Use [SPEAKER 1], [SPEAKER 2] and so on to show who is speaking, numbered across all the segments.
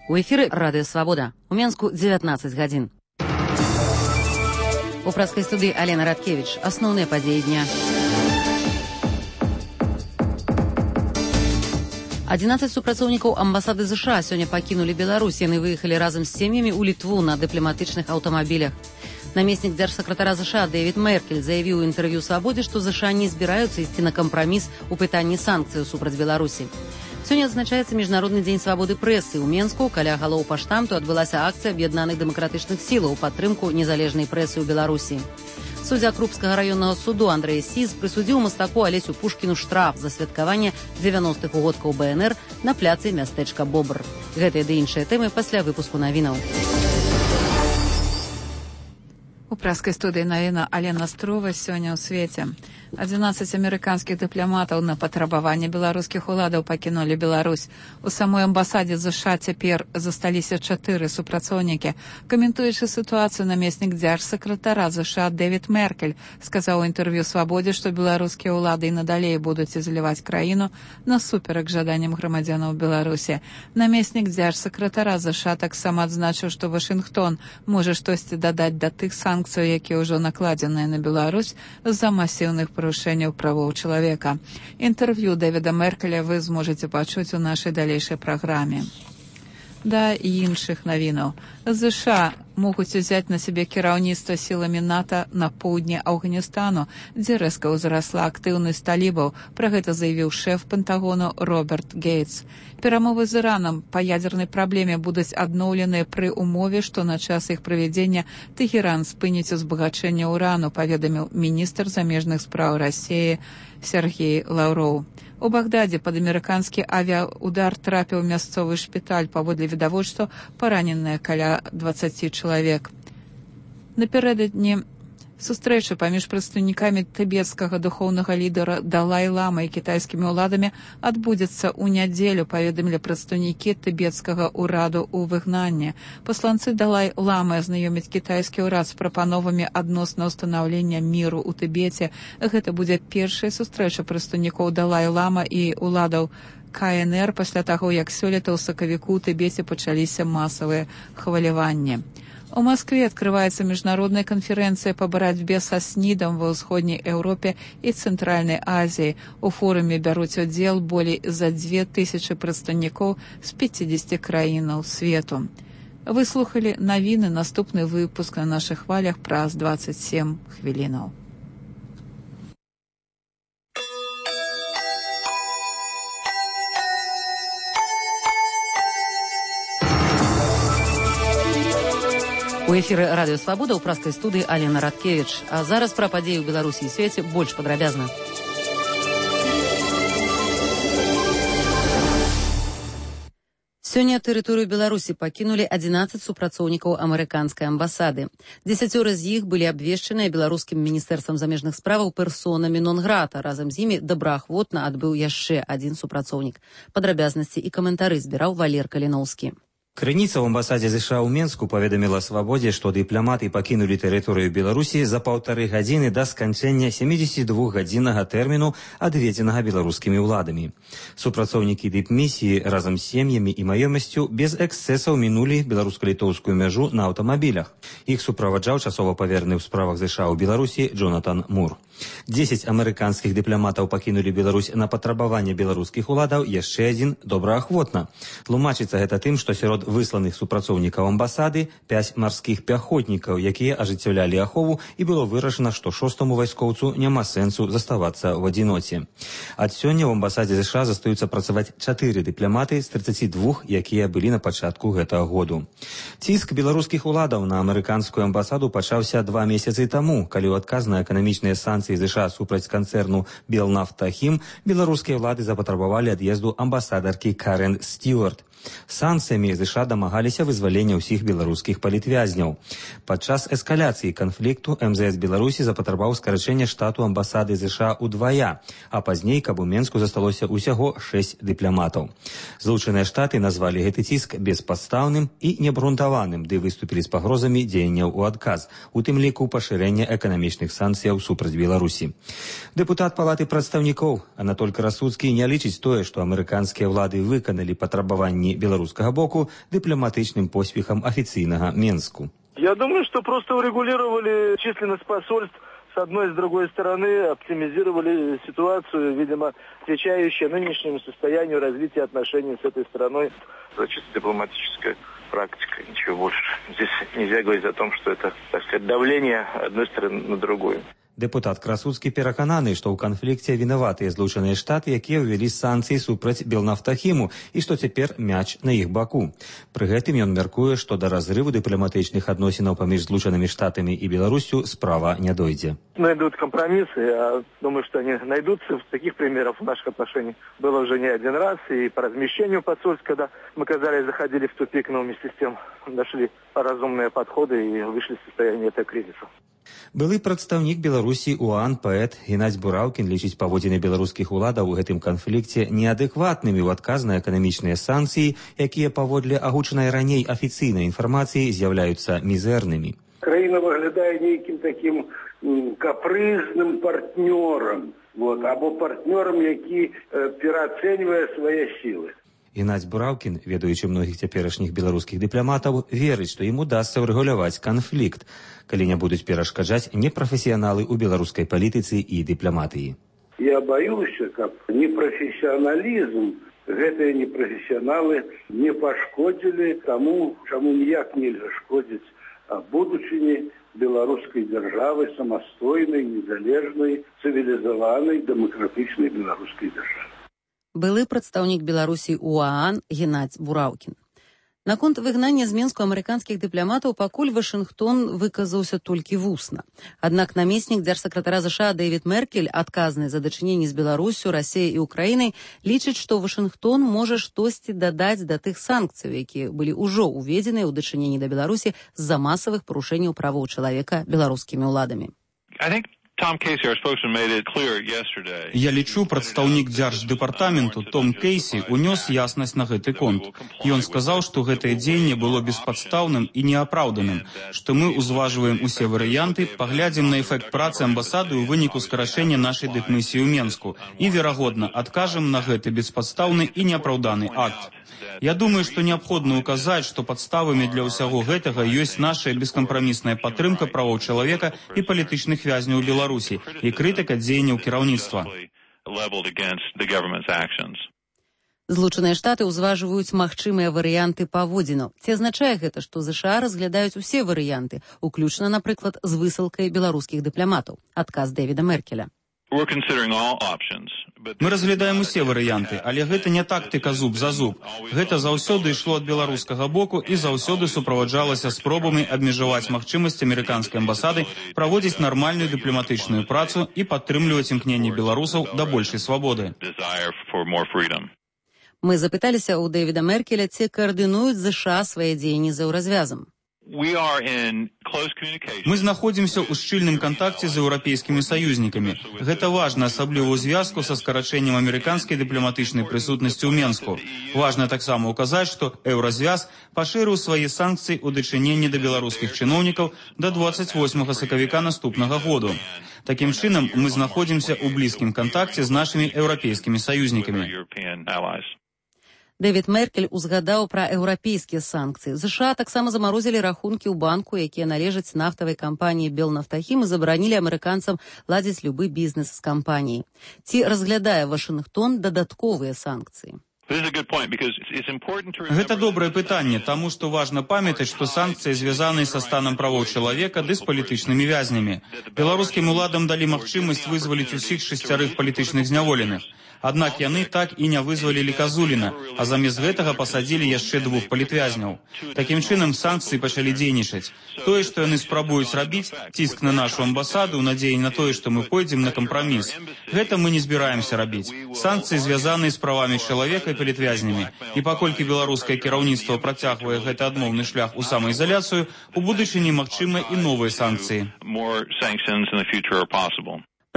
[SPEAKER 1] У эфіры Радыё Свабода. У Менску 19 гадзін. У праскай студыі Алена Радкевіч. Асноўныя падзеі дня. 11 супрацоўнікаў амбасады США сёння пакінулі Беларусь. Яны выехалі разам з сем'ямі ў Літву на дыпламатычных аўтамабілях. Намеснік дзяржсакратара США Дэвід Меркель заявіў у інтэрв'ю «Свабодзе», што США не збіраюцца ісці на кампраміс у пытанні санкцыяў супраць Беларусі. Сёння адзначаецца Міжнародны дзень свабоды прэсы. У Менску каля галоў паштамту адбылася акцыя аб'яднаных дэмакратычных сілаў у падтрымку незалежнай прэсы ў Беларусі. Суддзя Крупскага раённага суду Андрэй Сіз прысудзіў мастаку Алесю Пушкіну штраф за святкаванне 90-х угодкаў БНР на пляцы мястэчка Бобр. Гэтыя ды іншыя тэмы пасля выпуску навінаў.
[SPEAKER 2] У праскай студыі навіна Алена Струва сёння ў свеце. 11 амерыканскіх дыпламатаў на патрабаванне беларускіх уладаў пакінулі Беларусь. У самой амбасадзе США цяпер засталіся 4 супрацоўнікі. Каментуючы сітуацыю, намеснік дзяржсакратара США Дэвід Меркель сказаў у інтэрв'ю «Свабодзе», што беларускія ўлады і надалей будуць ізаляваць краіну насуперак жаданням грамадзянаў Беларусі. Намеснік дзяржсакратара США таксама адзначыў, што Вашынгтон можа штосьці дадаць да тых санкцыяў, якія ўжо накладзеныя на Беларусь з-за масіўных парушэнняў правоў чалавека. Інтэрв'ю Дэвіда Меркеля вы зможаце пачуць у нашай далейшай праграме. Да іншых навінаў. США могуць узяць на сябе кіраўніцтва сіламі НАТО на поўдні Афганістану, дзе рэзка ўзрасла актыўнасць талібаў. Пра гэта заявіў шэф Пентагону Роберт Гейтс. Перамовы з Іранам па ядзернай праблеме будуць адноўленыя пры умове, што на час іх правядзення Тэхеран спыніць узбагачэнне ўрану, паведаміў міністр замежных спраў Расіі Сергей Лаўроў. У Багдадзе пад амерыканскі авіаудар трапіў мясцовы шпіталь, паводле відавочцаў параненыя каля 20 чалавек. Напярэдадні сустрэча паміж прадстаўнікамі тыбецкага духоўнага лідара Далай-ламы і кітайскімі ўладамі адбудзецца ў нядзелю, паведамілі прадстаўнікі тыбецкага ўраду ў выгнанні. Пасланцы Далай-ламы азнаёмяць кітайскі ўрад з прапановамі адносна ўстанаўлення міру ў Тыбеце. Гэта будзе першая сустрэча прадстаўнікоў Далай-лама і ўладаў КНР пасля таго, як сёлета ў сакавіку ў Тыбеце пачаліся масавыя хваляванні. У Москве открывается международная конференция по борьбе со СНИДом ва ўсходняй Еўропе і Цэнтральнай Азіі. У форуме бяруць удзел болей за 2000 прадстаўнікоў з 50 краінаў свету. Вы слухалі навіны, наступны выпуск на нашых хвалях праз 27 хвілінаў.
[SPEAKER 1] У эфіры Радыё Свабода ў праскай студыі Алена Радкевіч. А зараз пра падзеі ў Беларусі і свеце больш падрабязна. Сёння тэрыторыю Беларусі пакінулі 11 супрацоўнікаў амерыканскай амбасады. 10 з іх былі абвешчаныя беларускім міністэрствам замежных справаў персонамі нон-грата. Разам з імі добраахвотна адбыў яшчэ адзін супрацоўнік. Падрабязнасці і каментары збіраў Валер Каліноўскі.
[SPEAKER 3] Крыніца ў амбасадзе США ў Менску паведаміла «Свабодзе», што дыпламаты пакінулі тэрыторыю Беларусі за 1,5 гадзіны да сканчэння 72-гадзіннага тэрміну, адведзенага беларускімі ўладамі. Супрацоўнікі дыпмісіі разам з сем'ямі і маёмасцю без эксцэсаў мінулі беларуска-літоўскую мяжу на аўтамабілях. Іх суправаджаў часова павераны ў справах США ў Беларусі Джонатан Мур. 10 амерыканскіх дыпламатаў пакінулі Беларусь на патрабаванне беларускіх уладаў, яшчэ адзін добраахвотна. Тлумачыцца гэта тым, што сярод высланых супрацоўнікаў амбасады 5 марскіх пяхотнікаў, якія ажыццяўлялі ахову, і было вырашана, што 6-му вайскоўцу няма сэнсу заставацца ў адзіноце. Ад сёння ў амбасадзе США застаюцца працаваць 4 дыпламаты з 32, якія былі на пачатку гэтага году. Ціск беларускіх уладаў на амерыканскую амбасаду пачаўся 2 месяцы таму, калі ў адказ на эканамічныя санкцыі США супраць канцэрну «Белнафтахім» беларускія ўлады запатрабавалі ад'езду амбасадаркі Карен Стюарт. Санкцыямі США дамагаліся вызвалення ўсіх беларускіх палітвязняў. Падчас эскаляцыі канфлікту МЗС Беларусі запатрабаваў скарачэння штату амбасады США ўдвая, а пазней, каб у Менску засталося ўсяго 6 дыпламатаў. Злучаныя Штаты назвалі гэты ціск беспадстаўным і неабгрунтаваным, ды выступілі з пагрозамі дзеянняў у адказ, у тым ліку пашырэння эканамічных санкцыяў супраць Беларусі. Беларусі. Дэпутат Палаты прадстаўнікоў Анатоль Красуцкі не лічыць тое, што амерыканскія ўлады выканалі патрабаванні беларускага боку дыпламатычным поспехам афіцыйнага Менску.
[SPEAKER 4] Я думаю, что просто урегулировали численность посольств с одной и с другой стороны, оптимизировали ситуацию, видимо, отвечающую нынешнему состоянию развития отношений с этой страной. Это чисто дипломатическая практика, ничего больше. Здесь нельзя говорить о том, что это, так сказать, давление одной стороны на другую.
[SPEAKER 3] Дэпутат Красуцкі перакананы, што ў канфлікце вінаватыя Злучаныя Штаты, якія ўвялі санкцыі супраць Белнафтахіму і што цяпер мяч на іх баку. Пры гэтым ён мяркуе, што да разрыву дыпламатычных адносінаў паміж Злучанымі Штатамі і Беларусью справа не дойдзе.
[SPEAKER 4] Найдут компромиссы, я думаю, что они найдутся. Таких примеров в наших отношениях было уже не один раз. И по размещению посольств, когда мы, казалось, заходили в тупик, но вместе с тем нашли разумные подходы и вышли из состояния этого кризиса.
[SPEAKER 3] Былы прадстаўнік Беларусі УАН паэт Геннадзь Бураўкін лічыць паводзіны беларускіх уладаў у гэтым канфлікце неадэкватнымі ў адказ на эканамічныя санкцыі, якія паводле агучанай раней афіцыйнай інфармацыі з'яўляюцца мізэрнымі.
[SPEAKER 5] Краіна выглядае нейкім такім капрызным партнёрам, або партнёрам, які пераацэньвае свае сілы.
[SPEAKER 3] Геннадзь Бураўкін, ведаючы многіх цяперашніх беларускіх дыпламатаў, верыць, што ім удасца ўрэгуляваць канфлікт, калі не будуць перашкаджаць непрафесіяналы ў беларускай палітыцы і дыпламатыі.
[SPEAKER 5] Я баюся, каб непрафесіяналізм, гэтыя непрафесіяналы не пашкодзілі таму, чаму ніяк нельга шкодзіць будучыні беларускай дзяржавы, самастойнай, незалежнай, цывілізаванай, дэмакратычнай беларускай дзяржавы.
[SPEAKER 1] Былы прадстаўнік Беларусі УААН Геннадзь Бураўкін. Наконт выгнання з Менску амерыканскіх дыпламатаў пакуль Вашынгтон выказаўся толькі вусна. Аднак намеснік дзяржсакратара ЗША Дэвід Меркель, адказны за дачыненні з Беларусю, Расіяй і Украінай, лічыць, што Вашынгтон можа штосьці дадаць да тых санкцый, якія былі ўжо ўведзеныя ў дачыненні да Беларусі з-за масавых парушэнняў правоў чалавека беларускімі ўладамі.
[SPEAKER 6] Я лічу, прадстаўнік дзярждэпартаменту Том Кейсі унёс яснасць на гэты конт. Ён сказаў, што гэтае дзеянне было беспадстаўным і неапраўданым, што мы ўзважваем усе варыянты, паглядзім на эфект працы амбасады ў выніку скарачэння нашай дыпмісіі ў Менску і, верагодна, адкажам на гэты беспадстаўны і неапраўданы акт. Я думаю, што неабходна ўказаць, што падставамі для ўсяго гэтага ёсць наша бескампрамісная падтрымка правоў чалавека і палітычных вязняў Беларусі і крытыка дзеянняў кіраўніцтва.
[SPEAKER 1] Злучаныя Штаты ўзважваюць магчымыя варыянты паводзінаў. Ці азначае гэта, што ЗША разглядаюць усе варыянты, уключна, напрыклад, з высылкай беларускіх дыпламатаў? Адказ Дэвіда Меркеля.
[SPEAKER 6] Мы разглядаем усе варыянты, але гэта не тактыка зуб за зуб. Гэта заўсёды ішло ад беларускага боку і заўсёды суправаджалася спробамі абмежаваць магчымасць амерыканскай амбасады праводзіць нармальную дыпламатычную працу і падтрымліваць імкненне беларусаў да большай свабоды.
[SPEAKER 1] Мы запыталіся ў Дэвіда Меркеля, ці каардынуюць ЗША свае дзеянні за еўразвязам.
[SPEAKER 6] Мы знаходзімся ў шчыльным кантакце з еўрапейскімі саюзнікамі. Гэта важна, асабліва ў звязку са скарачэннем амерыканскай дыпламатычнай прысутнасці ў Менску. Важна таксама ўказаць, што еўразвяз пашырыў свае санкцыі ў дачыненні да беларускіх чыноўнікаў да 28 сакавіка наступнага году. Такім чынам, мы знаходзімся ў блізкім кантакце з нашымі еўрапейскімі саюзнікамі.
[SPEAKER 1] Дэвід Меркель узгадаў пра еўрапейскія санкцыі. ЗША таксама замарозілі рахункі ў банку, якія належаць нафтавай кампаніі Белнафтахім, і забаранілі амерыканцам ладзіць любы бізнес з кампаніяй. Ці разглядае Вашынгтон дадатковыя санкцыі?
[SPEAKER 6] Гэта добрае пытанне, таму што важна памятаць, што санкцыі звязаны са станам правоў чалавека ды з палітычнымі вязнямі. Беларускім уладам далі магчымасць вызваліць усіх 6 палітычных зняволеных. Аднак яны так і не вызвалілі Казуліна, а замест гэтага пасадзілі яшчэ 2 палітвязняў. Такім чынам санкцыі пачалі дзейнічаць. Тое, што яны спрабуюць рабіць, ціск на нашу амбасаду ў надзеі на тое, што мы пойдзем на кампраміс. Гэта мы не збіраемся рабіць. Санкцыі звязаныя з правамі чалавека і палітвязнямі. І паколькі беларускае кіраўніцтва працягвае гэты адмоўны шлях у самаізаляцыю, у будучыні магчымы і новыя санкцыі.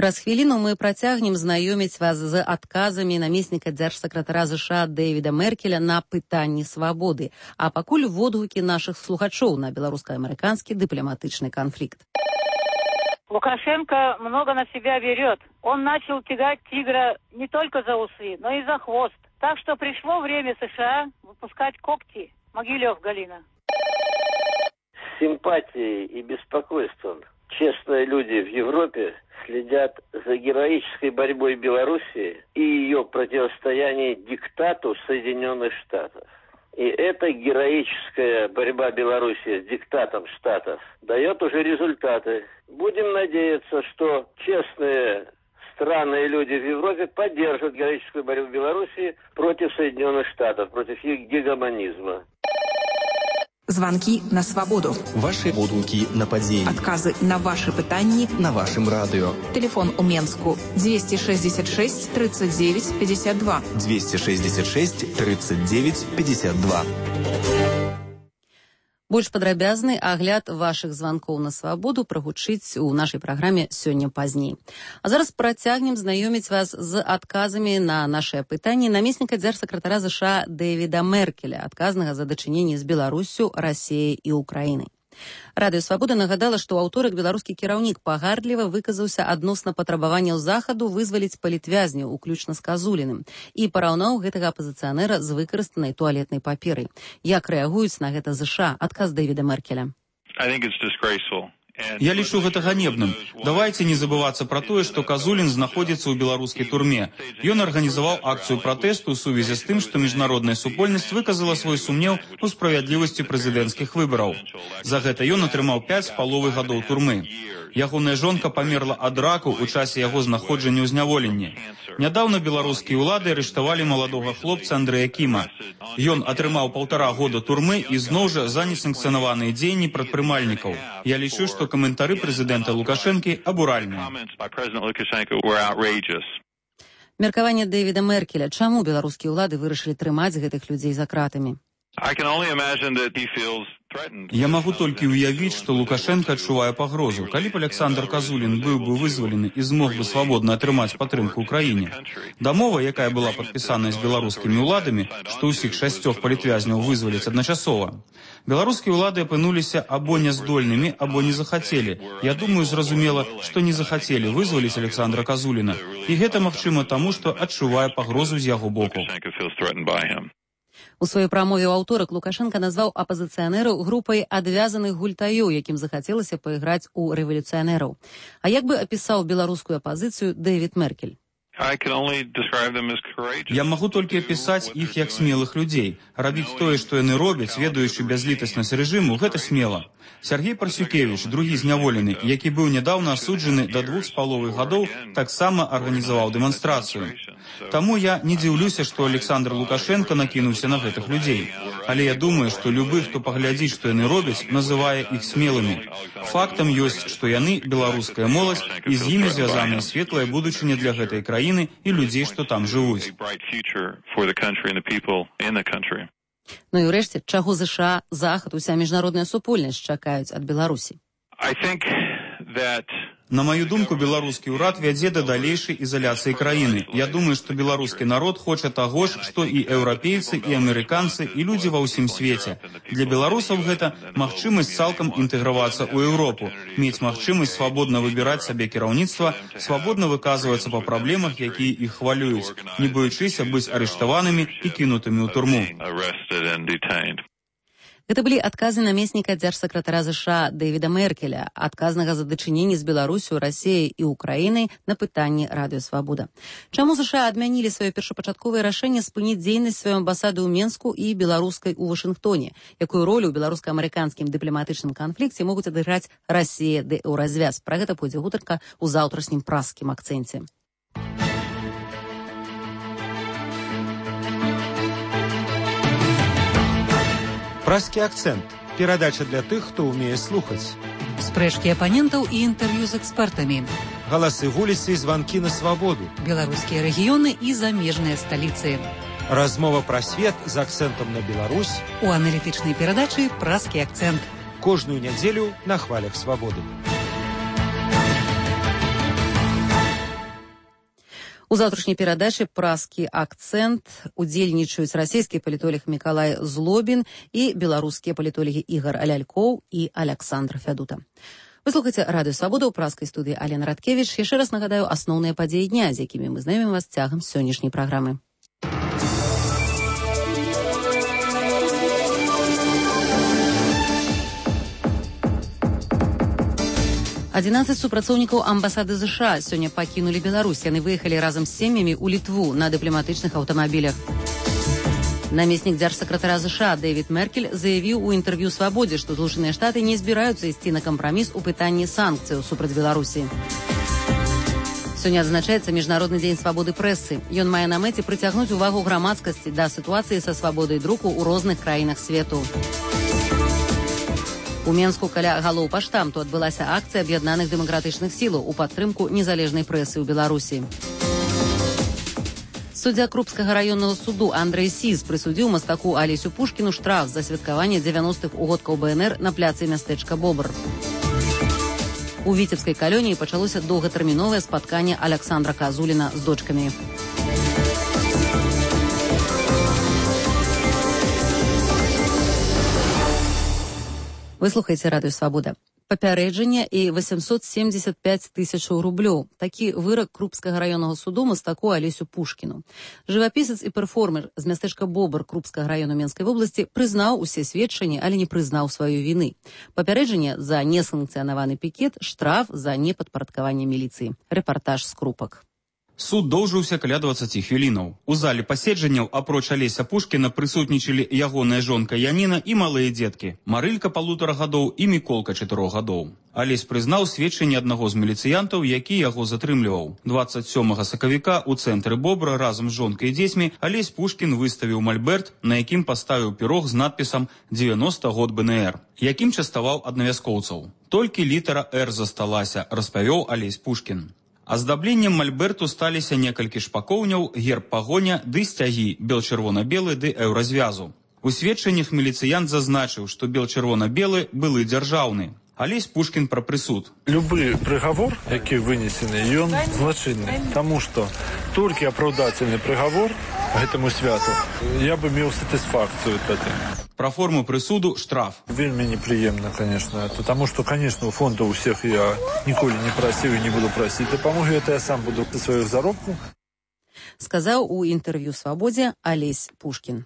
[SPEAKER 1] Праз хвіліну мы працягнем знаёміць вас з адказамі намесніка дзяржсакратара ЗША Дэвіда Меркеля на пытанні свабоды. А пакуль водгукі нашых слухачоў на беларуска-амерыканскі дыпламатычны канфлікт.
[SPEAKER 7] Лукашенко много на себя берет. Он начал тягать тигра не только за усы, но и за хвост. Так что пришло время США выпускать когти. Могилев, Галина.
[SPEAKER 8] С симпатией и беспокойством честные люди в Европе следят за героической борьбой Белоруссии и ее противостояние диктату Соединенных Штатов. И эта героическая борьба Белоруссии с диктатом Штатов дает уже результаты. Будем надеяться, что честные страны и люди в Европе поддержат героическую борьбу Белоруссии против Соединенных Штатов, против их гегемонизма.
[SPEAKER 9] Звонки на свободу.
[SPEAKER 10] Ваші будинки на події.
[SPEAKER 9] Откази на ваші питання
[SPEAKER 10] на вашем радио.
[SPEAKER 9] Телефон у Менску 266 39 52.
[SPEAKER 10] 266 39 52.
[SPEAKER 1] Больш падрабязны агляд вашых званкоў на свабоду прагучыць у нашай праграме сёння пазней. А зараз працягнем знаёміць вас з адказамі на нашыя пытанні намесніка дзяржсакратара ЗША Дэвіда Меркеля, адказнага за дачыненні з Беларуссю, Расіяй і Украінай. Радыё Свабода нагадала, што ў аўторак беларускі кіраўнік пагардліва выказаўся адносна патрабаванняў захаду вызваліць палітвязняў, уключна з Казуліным, і параўнаў гэтага апазіцыянера з выкарыстанай туалетнай паперай. Як рэагуюць на гэта ЗША? Адказ Дэвіда Меркеля.
[SPEAKER 6] Я лічу гэта ганебным. Давайте не забывацца пра тое, што Казулін знаходзіцца ў беларускай турме. Ён арганізаваў акцыю пратэсту ў сувязі з тым, што міжнародная супольнасць выказала свой сумнеў у справядлівасці прэзідэнцкіх выбараў. За гэта ён атрымаў 5,5 гадоў турмы. Ягоная жонка памерла ад раку ў часе яго знаходжання ў зняволенні. Нядаўна беларускія ўлады арыштавалі маладога хлопца Андрэя Кіма. Ён атрымаў 1,5 года турмы і зноў жа за несанкцыянаваныя дзеянні прадпрымальнікаў. Я лічу, што каментары прэзідэнта Лукашэнкі абуральныя.
[SPEAKER 1] Меркаванне Дэвіда Меркеля. Чаму беларускія ўлады вырашылі трымаць гэтых людзей за кратамі?
[SPEAKER 6] Я магу толькі ўявіць, што Лукашенко адчувае пагрозу. Калі б Александр Казулін быў бы вызвалены і змог бы свабодна атрымаць падтрымку ў краіне. Дамова, якая была падпісаная з беларускімі ўладамі, што ўсіх 6 палітвязняў вызваляць адначасова. Беларускія ўлады апынуліся або няздольнымі, або не захацелі. Я думаю, зразумела, што не захацелі вызваліць Александра Казуліна. І гэта магчыма таму, што адчувае пагрозу з яго боку.
[SPEAKER 1] У сваёй прамове ў аўторак Лукашенка назваў апазіцыянераў групай адвязаных гультаёў, якім захацелася пайграць у рэвалюцыянераў. А як бы апісаў беларускую апазіцыю Дэвід Меркель?
[SPEAKER 6] Я магу толькі апісаць іх як смелых людзей. Рабіць тое, што яны робяць, ведаючы бязлітаснасць рэжыму, гэта смела. Сергей Парсюкевіч, другі зняволены, які быў нядаўна асуджаны да 2,5 гадоў, таксама арганізаваў дэманстрацыю. Таму я не дзіўлюся, што Александр Лукашенко накінуўся на гэтых людзей. Але я думаю, што любы, хто паглядзіць, што яны робяць, называе іх смелымі. Фактам ёсць, што яны беларуская моладзь, і з імі звязаная светлая будучыня для гэтай краіны і людзей, што там жывуць.
[SPEAKER 1] Ну і ўрэшце, чаго ЗША, Захад, уся міжнародная супольнасць чакаюць ад Беларусі?
[SPEAKER 6] На маю думку, беларускі ўрад вядзе да далейшай ізаляцыі краіны. Я думаю, што беларускі народ хоча таго ж, што і еўрапейцы, і амерыканцы, і людзі ва ўсім свеце. Для беларусаў гэта магчымасць цалкам інтэгравацца ў Еўропу, мець магчымасць свабодна выбіраць сабе кіраўніцтва, свабодна выказвацца па праблемах, якія іх хвалююць, не боючыся быць арыштаванымі і кінутымі ў турму.
[SPEAKER 1] Гэта былі адказы намесніка дзяржсакратара ЗША Дэвіда Меркеля, адказнага за дачыненні з Беларусю, Расіяй і Украінай на пытанні Радыё Свабода. Чаму ЗША адмянілі сваё першапачатковае рашэнне спыніць дзейнасць сваёй амбасады ў Менску і беларускай у Вашынгтоне? Якую ролю ў беларуска-амерыканскім дыпламатычным канфлікце могуць адыграць Расія ды Еўразвяз? Пра гэта пойдзе гутарка ў заўтрашнім праскім акцэнце.
[SPEAKER 11] Пражскі акцэнт. Перадача для тых, хто ўмее слухаць.
[SPEAKER 2] Спрэчкі апанентаў і інтэрв'ю з экспертамі.
[SPEAKER 11] Галасы вуліцы і званкі на свабоду.
[SPEAKER 2] Беларускія рэгіёны і замежныя сталіцы.
[SPEAKER 11] Размова пра свет з акцэнтам на Беларусь.
[SPEAKER 2] У аналітычнай перадачы «Пражскі акцэнт».
[SPEAKER 11] Кожную нядзелю на хвалях свабоды.
[SPEAKER 1] У заўтрашняй перадачы «Пражскі акцэнт» удзельнічаюць расійскі палітолог Мікалай Злобін і беларускія палітолагі Ігор Лялькоў і Аляксандр Фядута. Вы слухаеце радыё Свабода ў праскай студыі Алена Радкевіч. Яшчэ раз нагадаю асноўныя падзеі дня, з якімі мы знаёмім вас цягам сённяшняй праграмы. 11 супрацоўнікаў амбасады США сёння пакінулі Беларусь. Яны выехалі разам з сем'ямі ў Літву на дыпламатычных аўтамабілях. Намеснік дзяржсакратара США Дэвід Меркель заявіў у інтэрв'ю «Свабодзе», што Злучаныя Штаты не збіраюцца ісці на кампраміс у пытанні санкцыяў супраць Беларусі. Сёння адзначаецца Міжнародны дзень свабоды прэсы. Ён мае на мэце прыцягнуць увагу грамадскасці да сітуацыі са свабодай друку ў розных краінах свету. У Менску каля галоў паштамту адбылася акцыя аб'яднаных дэмакратычных сілаў у падтрымку незалежнай прэсы ў Беларусі. Суддзя Крупскага раённага суду Андрэй Сіз прысудзіў мастаку Алесю Пушкіну штраф за святкаванне 90-х угодкаў БНР на пляцы мястэчка Бобр. У Віцебскай калоніі пачалося доўгатэрміновае спатканне Аляксандра Казуліна з дочкамі. Вы слухаеце радыё Свабода. Папярэджанне і 875 тысячаў рублёў. Такі вырак Крупскага раённага суду мастаку Алесю Пушкіну. Жывапісец і перформер з мястэчка Бобр Крупскага раёну Менскай вобласці прызнаў усе сведчанні, але не прызнаў сваёй віны. Папярэджанне за несанкцыянаваны пікет, штраф за непадпарадкаванне міліцыі. Рэпартаж з Крупак.
[SPEAKER 6] Суд доўжыўся каля 20 хвілінаў. У зале паседжанняў апроч Алеся Пушкіна прысутнічалі ягоная жонка Яніна і малыя дзеткі. Марылька 1,5 гадоў і Міколка 4 гадоў. Алесь прызнаў сведчанне аднаго з міліцыянтаў, які яго затрымліваў. 27 сакавіка ў цэнтры Бобра разам з жонкай і дзецьмі Алесь Пушкін выставіў мальберт, на якім паставіў пірог з надпісам «90 год БНР», якім частаваў аднавяскоўцаў. Толькі літара «Р» засталася, распавёў Алесь Пушкін. Аздабленнем мальберту сталіся некалькі шпакоўняў, герб пагоня ды сцягі бел-чырвона-белы ды еўразвязу. У сведчаннях міліцыянт зазначыў, што бел-чырвона-белы былы дзяржаўны. Алесь Пушкін пра прысуд.
[SPEAKER 12] Любы прыгавор, які вынесены, ён злачынны, таму што толькі апраўдательны прыгавор гэтаму святу я бы меў сатысфакцыю тады.
[SPEAKER 6] Пра форму прысуду штраф.
[SPEAKER 12] Вельмі непрыемна, конечно, потому что, конечно, у фонда у всех я ніколі не прасіў і не буду прасіць дапамогі, это я сам буду за сваіх заробку.
[SPEAKER 1] Сказаў у інтэрв'ю «Свабодзе» Алесь Пушкін.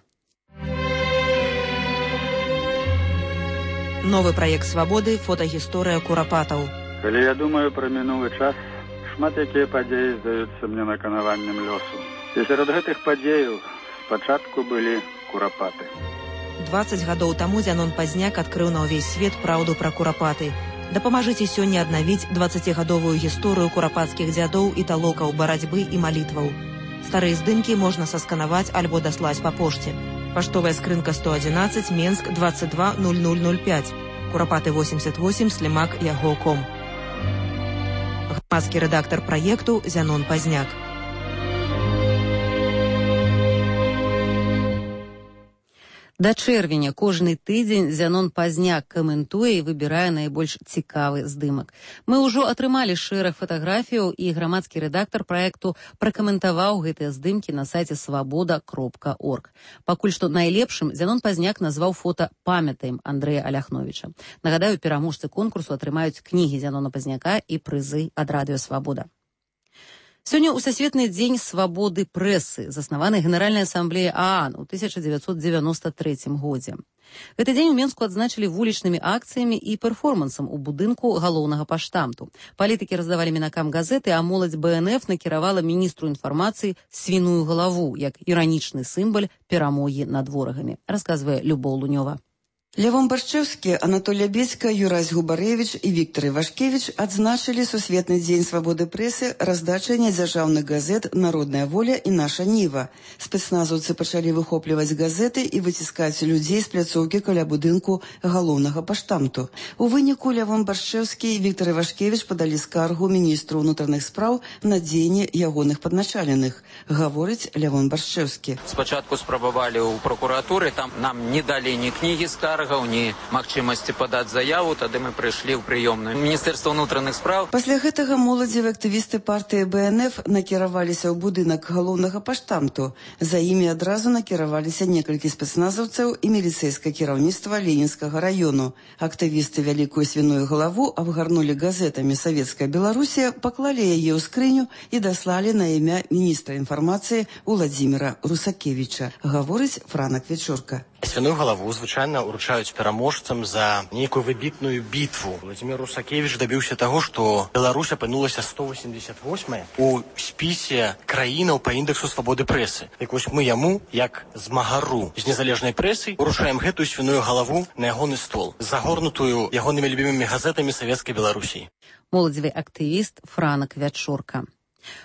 [SPEAKER 9] Новы праект «Свабоды» – фотагісторыя курапатаў.
[SPEAKER 13] Калі я думаю пра мінулы час, шмат якія падзеі здаюцца мне наканаваннем лёсу. І сярод гэтых падзеяў спачатку былі курапаты.
[SPEAKER 9] 20 гадоў таму Зянон Пазняк адкрыў на ўвесь свет праўду пра курапаты. Дапамажыце сёння аднавіць 20гадовую гісторыю курапацкіх дзядоў і талокаў барацьбы і малітваў. Старыя здымкі можна сасканаваць альбо даслаць па пошце. Паштовая скрынка 111, Менск 220005. Курапаты 88, Слімак, Яго.ком. Грамадскі рэдактар праекту Зянон Пазняк.
[SPEAKER 1] Да чэрвеня кожны тыдзень Зянон Пазняк каментуе і выбірае найбольш цікавы здымак. Мы ўжо атрымалі шэраг фатаграфіяў, і грамадскі рэдактар праекту пракаментаваў гэтыя здымкі на сайце свабода.орг. Пакуль што найлепшым Зянон Пазняк назваў фота «Памятаем» Андрэя Аляхновіча. Нагадаю, пераможцы конкурсу атрымаюць кнігі Зянона Пазняка і прызы ад радыё «Свабода». Сёння ў Сусветны дзень свабоды прэсы, заснаваны Генеральнай асамблеяй ААН у 1993 годзе. Гэты дзень у Менску адзначылі вулічнымі акцыямі і перформансам у будынку галоўнага паштамту. Палітыкі раздавалі мінакам газеты, а моладзь БНФ накіравала міністру інфармацыі свіную галаву, як іранічны сімвал перамогі над ворагамі, расказвае Любоў Лунёва.
[SPEAKER 14] Лявон Баршчэўскі, Анатолій Бецька, Юрась Губарэвіч і Віктор Івашкевіч адзначылі Сусветны дзень свабоды прэсы раздачай нядзяржаўных газет «Народная воля» і «Наша Ніва». Спецназаўцы пачалі выхопліваць газеты і выціскаць людзей з пляцоўкі каля будынку галоўнага паштамту. У выніку Лявон Баршчэўскі і Віктор Івашкевіч падалі скаргу міністру ўнутраных спраў на дзеянні ягоных падначаленых, гаворыць Лявон Баршчэўскі.
[SPEAKER 15] Спачатку спрабавалі ў прокуратуры, там нам не далі ні кнігі скарг, скаргаў, ні магчымасці падаць заяву. Тады мы прыйшлі ў прыёмную Міністэрства ўнутраных спраў.
[SPEAKER 14] Пасля гэтага моладзевыя актывісты партыі БНФ накіраваліся ў будынак галоўнага паштамту. За імі адразу накіраваліся некалькі спецназаўцаў і міліцэйскае кіраўніцтва Ленінскага раёну. Актывісты вялікую свіную галаву абгарнулі газетамі «Савецкая Беларусія», паклалі яе ў скрыню і даслалі на імя міністра інфармацыі Уладзіміра Русакевіча, гаворыць Франак Вечорка.
[SPEAKER 16] Свіную галаву звычайна ўручаюць пераможцам за нейкую выбітную бітву. Уладзімір Русакевіч дабіўся таго, што Беларусь апынулася 188 у спісе краінаў па індэксу свабоды прэсы. Так вось мы яму, як змагару з незалежнай прэсай, уручаем гэтую свіную галаву на ягоны стол, загорнутую ягонымі любімымі газетамі Савецкай Беларусі.
[SPEAKER 1] Моладзевы актывіст Франак Вячорка.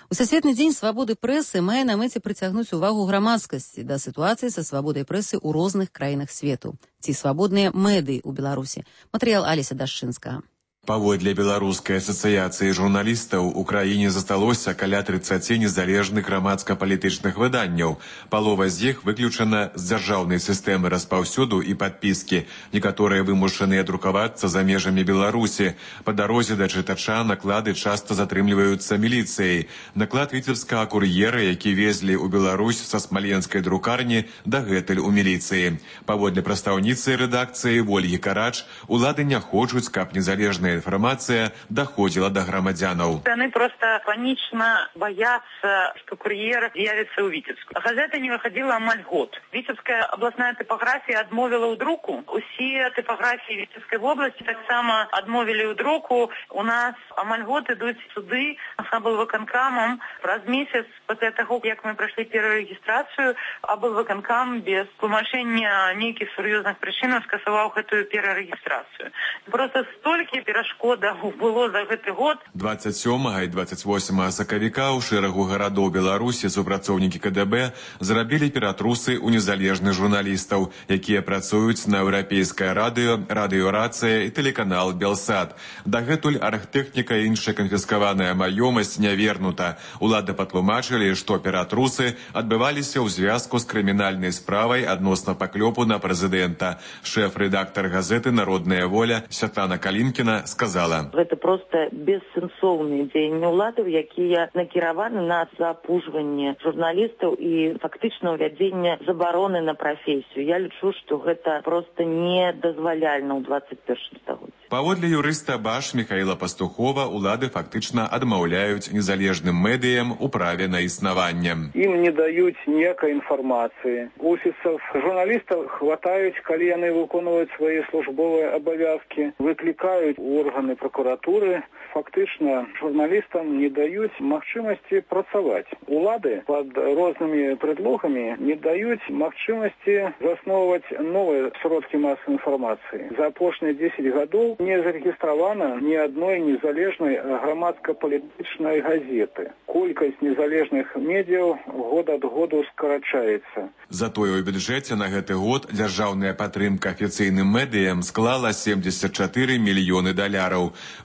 [SPEAKER 1] У Сусветны дзень свабоды прэсы мае на мэце прыцягнуць увагу грамадскасці да сітуацыі са свабодай прэсы ў розных краінах свету. Ці свабодныя медыі ў Беларусі. Матэрыял Аліся Дашчынскага.
[SPEAKER 17] Паводле Беларускай асацыяцыі журналістаў у краіне засталося каля 30 незалежных грамадска-палітычных выданняў. Палова з іх выключана з дзяржаўнай сістэмы распаўсюду і падпіскі. Некаторыя вымушаныя друкавацца за межамі Беларусі. Па дарозе да чытача наклады часта затрымліваюцца міліцыяй. Наклад віцебскага кур'ера, які везлі ў Беларусь са смаленскай друкарні, дагэтуль у міліцыі. Паводле прадстаўніцы рэдакцыі Вольгі Карач, улады не хочуць, каб незалежная информация доходила до громадянов.
[SPEAKER 18] Они просто панично боятся, что курьер з'явится у Витебску. Газета не выходила амаль год. Витебская областная типография отмовила у друку. Усе типографии Витебской области так само отмовили у друку. У нас амаль год идут суды с облвыканкамом. Раз месяц после того, как мы прошли первую регистрацию, облвыканкам без тлумачення нейких серьезных причин скасовал эту первую регистрацию. Просто столько перашкодаў было за гэты год.
[SPEAKER 17] 27 і 28 сакавіка ў шэрагу гарадоў Беларусі супрацоўнікі КДБ зрабілі ператрусы ў незалежных журналістаў, якія працуюць на еўрапейскае радыё, радыёрацыя і тэлеканал Белсат. Дагэтуль архтэхніка і іншая канфіскаваная маёмасць не вернута. Улады патлумачылі, што ператрусы адбываліся ў звязку з крымінальнай справай адносна паклёпу на прэзідэнта. Шэф-рэдактар газеты «Народная воля» Святлана Калінкіна сказала.
[SPEAKER 18] Гэта просто бессэнсоўныя дзеянні ўладаў, якія накіраваны на запужванне журналістаў і фактычна ўвядзенне забароны на прафесію. Я лічу, што гэта просто недазваляльна ў 21 стагоддзі.
[SPEAKER 17] Паводле юрыста БАШ Михаіла Пастухова, улады фактычна адмаўляюць незалежным медыям у праве на існаванне.
[SPEAKER 19] Ім не даюць ніякай інфармацыі. Офісаў журналістаў хватаюць, калі яны выконваюць свае службовыя абавязкі, выклікаюць органы прокуратуры. Фактычна журналістам не даюць магчымасці працаваць. Улады пад рознымі предлогамі не даюць магчымасці засноўваць новыя сродкі масавай інфармацыі. За апошнія 10 гадоў не зарэгістравана ні адной незалежнай грамадска-палітычнай газеты. Колькасць незалежных медыяў год ад году скарачаецца.
[SPEAKER 17] Затое ў бюджэце на гэты год дзяржаўная падтрымка афіцыйным медыям склала $74 мільёны.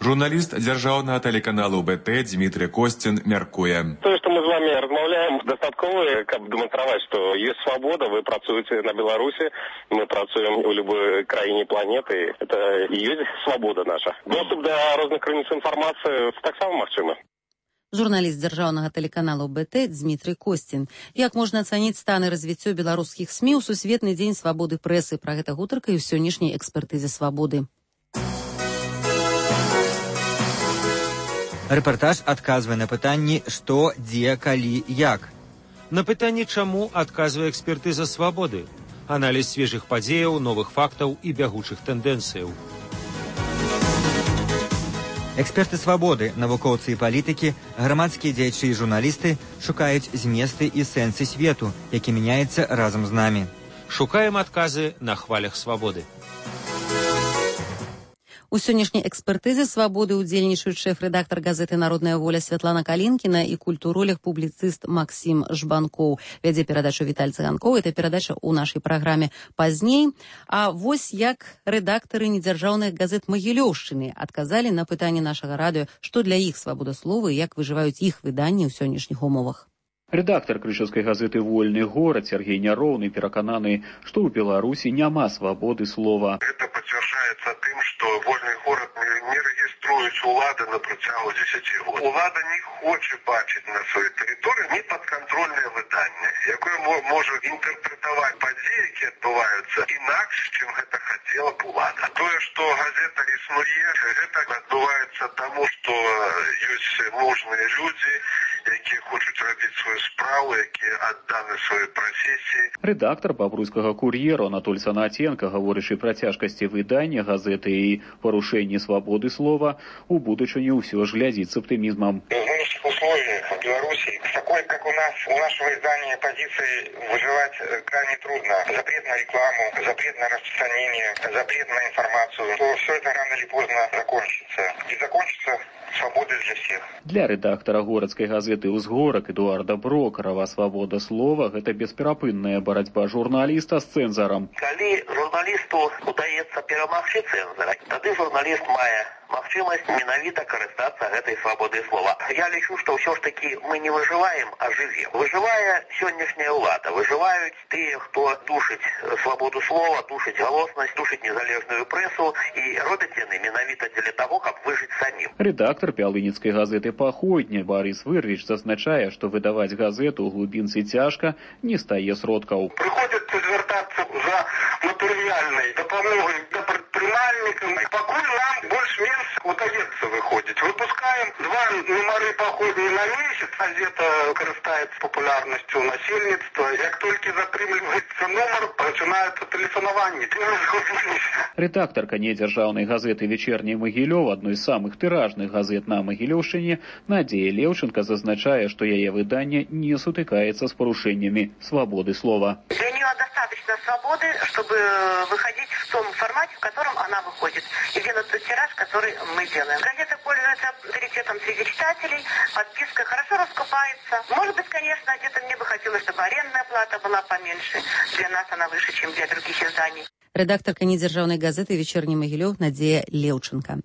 [SPEAKER 17] Журналіст дзяржаўнага тэлеканалу БТ Дмітрий Костин мяркуе.
[SPEAKER 20] То, что мы с вами размаўляем, дастаткова, каб дэманстраваць, што есть свабода, вы працуеце на Беларусі, мы працуем у любой краіне планеты. Это и есть свобода наша. Доступ до розных крыніц інфармацыі таксама магчыма.
[SPEAKER 1] Журналіст дзяржаўнага тэлеканалу БТ Дмітрий Костин. Як можна ацаніць стан і развіццё беларускіх СМІ ў Сусветны дзень свабоды прэсы? Пра гэта гутарка і ў сённяшняй экспертызе свабоды.
[SPEAKER 21] Рэпартаж адказвае на пытанні «Што, дзе, калі, як?».
[SPEAKER 11] На пытанні «Чаму?» адказвае экспертыза свабоды. Аналіз свежых падзеяў, новых фактаў і бягучых тэндэнцыяў.
[SPEAKER 21] Эксперты свабоды, навукоўцы і палітыкі, грамадскія дзеячы і журналісты шукаюць зместы і сэнсы свету, які мяняецца разам з намі.
[SPEAKER 11] Шукаем адказы на хвалях свабоды.
[SPEAKER 1] У сённяшняй экспертызе свабоды ўдзельнічаюць шэф-рэдактар газеты «Народная воля» Святлана Калінкіна і культуролог-публіцыст Максім Жбанкоў. Вядзе перадачу Віталь Цыганкоў. Гэта перадача ў нашай праграме пазней. А вось як рэдактары недзяржаўных газет Магілёўшчыны адказалі на пытанне нашага радыё, што для іх свабода слова і як выжываюць іх выданні ў сённяшніх умовах.
[SPEAKER 4] Рэдактар крычаўскай газеты «Вольны горад» Сергей Няроўны перакананы, што ў Беларусі няма свабоды слова.
[SPEAKER 22] Это подтверждается тем, что «Вольный город» не региструется улада на працягу 10 год. Улада не хоче бачить на своей территории неподконтрольное выдание, якое может интерпретовать події, які відбуваються, інакше, чим это хотела б улада. То, что газета існує, это відбувається тому, что есть мужные люди, які хочуть робити свою справу, які аддані своїй професії.
[SPEAKER 4] Рэдактар бабруйскага кур'ера Анатоль Санатенко, гаворачы пра цяжкасці выдання газеты і парушэнні свабоды слова, у будучыні ўсё ж глядзіць с оптимизмом.
[SPEAKER 22] В нынешних условиях в Беларуси, с такой, как у нас, у нашего издания позиции выживать крайне трудно. Запрет на рекламу, запрет на распространение, запрет на информацию. То все это рано или поздно закончится. И закончится свободой для всех.
[SPEAKER 4] Для рэдактара горадскай газеты «Узгорак» Эдуарда Брокарава свабода слова – гэта бесперапынная барацьба журналіста з цэнзарам.
[SPEAKER 8] Калі журналісту удаецца перамагчы цэнзара, тады журналіст мае магчымасць менавіта карыстацца гэтай свабодай слова. Я лічу, што ўсё ж такі мы не выжываем, а жывем. Выжывае сённяшняя ўлада, выжываюць тыя, хто душыць свабоду слова, душыць галоснасць, душыць незалежную прэсу, і робяць яны менавіта дзеля таго, каб выжыць самім.
[SPEAKER 4] Рэдактар пялыніцкай газеты «Паходня» Барыс Вырвіч зазначае, што выдаваць газету ў глубінцы цяжка, не стае сродкаў.
[SPEAKER 22] Прыходзіцца звяртацца за матэрыяльнай дапамогай да прадпрымальнікам. Пакуль нам больш-менш удаецца выходзіць. Выпускаем 2 нумары «Паходні» на месяц. Газета карыстаецца папулярнасцю насельніцтва. Як толькі затрымліваецца нумар, пачынаецца тэлефанаванне.
[SPEAKER 4] Рэдактарка недзяржаўнай газеты «Вечерний Магілёў», адной з самых тыражных газет на Магілёўшчыне, Надзея Леўченко зазначае, што яе выданне не сутыкаецца з парушэннямі свабоды слова.
[SPEAKER 23] Для нее достаточно свободы, чтобы выходить в том формате, в котором она выходит, и делать тот тираж, который мы делаем. Газета пользуется авторитетом среди читателей, подписка хорошо раскупается. Может быть, конечно, где-то мне бы хотелось, чтобы арендная плата была поменьше. Для нас она выше, чем для других изданий.
[SPEAKER 1] Рэдактарка недзяржаўнай газеты «Вечерний Магілёў» Надзея Леўченко.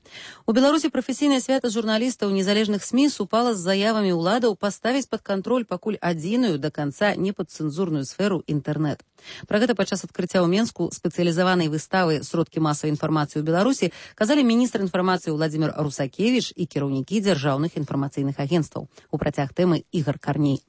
[SPEAKER 1] У Беларусі прафесійнае свята журналістаў незалежных СМІ супала з заявамі ўладаў паставіць пад кантроль пакуль адзіную да канца непадцэнзурную сферу інтэрнэт. Пра гэта падчас адкрыцця ў Менску спецыялізаванай выставы «Сродкі масавай інфармацыі ў Беларусі» казалі міністр інфармацыі Владзімір Русакевіч і кіраўнікі дзяржаўных інфармацыйных агенцтваў. У працяг тэмы Ігор Карней.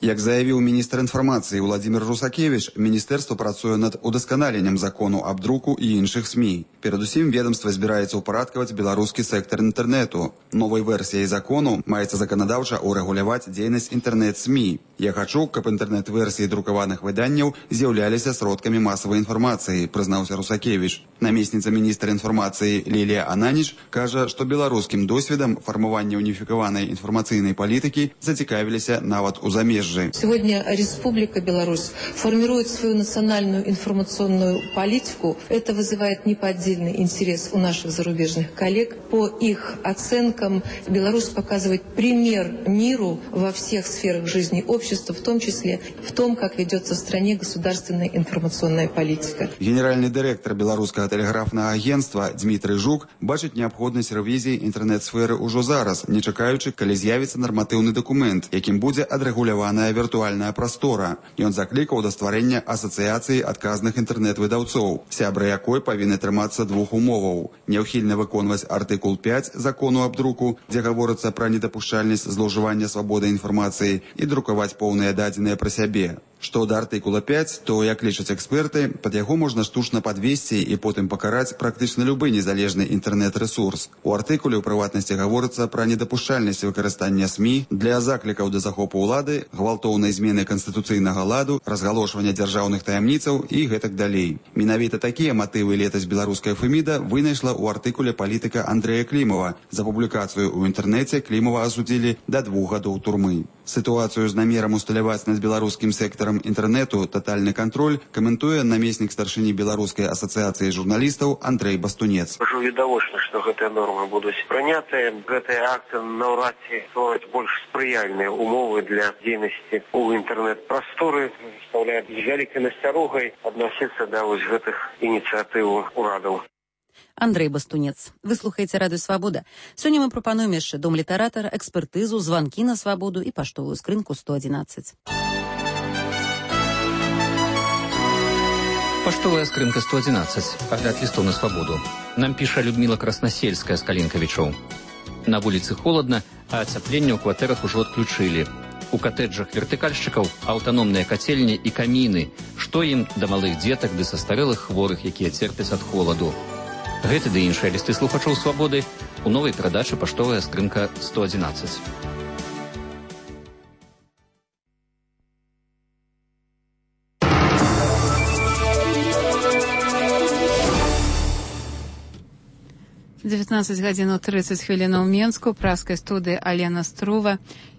[SPEAKER 24] Як заявіў міністр інфармацыі Владзімір Русакевіч, міністэрства працуе над удасканаленнем закону аб друку і іншых СМІ. Перадусім, ведомства збіраецца ўпарадкаваць беларускі сектар інтэрнэту. Новай версіяй закону маецца заканадаўча урэгуляваць дзейнасць інтэрнэт-СМІ. Я хачу, каб інтэрнэт-версіі друкаваных выданняў з'яўляліся сродкамі масавай інфармацыі, прызнаўся Русакевіч. Намесніца міністра інфармацыі Лілія Ананіч кажа, што беларускім досведам фармавання уніфікаванай інфармацыйнай палітыкі зацікавіліся нават у замежжы.
[SPEAKER 25] Сегодня Республика Беларусь формирует свою национальную информационную политику. Это вызывает неподдельный интерес у наших зарубежных коллег. По их оценкам, Беларусь показывает пример миру во всех сферах жизни общества, в том числе в том, как ведется в стране государственная информационная политика.
[SPEAKER 24] Генеральный директор Белорусского телеграфного агентства Дмитрий Жук бачыць неабходнасць рэвізіі інтэрнэт-сферы ўжо зараз, не чакаючы, калі з'явіцца нарматыўны дакумент, якім будзе адрэгулявана віртуальная прастора. Ён заклікаў да стварэння асацыяцыі адказных інтэрнэт-выдаўцоў, сябры якой павінны трымацца 2 умоваў: няўхільна выконваць артыкул 5 закону аб друку, дзе гаворыцца пра недапушчальнасць злоўжывання свабодай інфармацыі, і друкаваць поўныя дадзеныя пра сябе. Што да артыкула 5, то, як лічаць эксперты, пад яго можна штучна падвесці і потым пакараць практычна любы незалежны інтэрнэт-рэсурс. У артыкуле, у прыватнасці, гаворыцца пра недапушчальнасць выкарыстання СМІ для заклікаў да захопу ўлады, гвалтоўнай змены канстытуцыйнага ладу, разгалошвання дзяржаўных таямніцаў і гэтак далей. Менавіта такія матывы летась беларуская Феміда вынайшла ў артыкуле палітыка Андрэя Клімова. За публікацыю ў інтэрнэце Клімова асудзілі да 2 гадоў турмы. Сітуацыю з намерам усталяваць над беларускім сектарам інтэрнэту татальны кантроль каментуе намеснік старшыні беларускай асацыяцыі журналістаў Андрэй Бастунец.
[SPEAKER 8] Ужо відавочна, што гэтыя нормы будуць прынятыя. Гэтыя акты наўрад ці ствараць больш спрыяльныя умовы для дзейнасці ў інтэрнэт-прасторы, стаўляе з вялікай насцярогай адносіцца да вось гэтых ініцыятыў урадаў.
[SPEAKER 1] Андрэй Бастунец. Вы слухаеце радыё Свабода. Сёння мы прапануем яшчэ дом літаратара, экспертызу, званкі на свабоду і паштовую скрынку 111.
[SPEAKER 2] Паштовая скрынка 111. Агляд листов на свободу. Нам піша Людмила Красносельская з Калінкавічоў. На вуліцы холодна, а ацяпленне ў кватэрах ужо адключылі. У катэджах вертыкальшчыкаў аўтаномныя кацельні і каміны. Што ім да малых дзетак ды састарэлых хворых, якія церпяць ад холаду. Гэты ды іншыя лісты слухачоў свабоды у новай перадачы «Паштовая скрынка 111».
[SPEAKER 3] «19 гадзін 30 хвілінаў Менску», праскай студыі Алена Струва.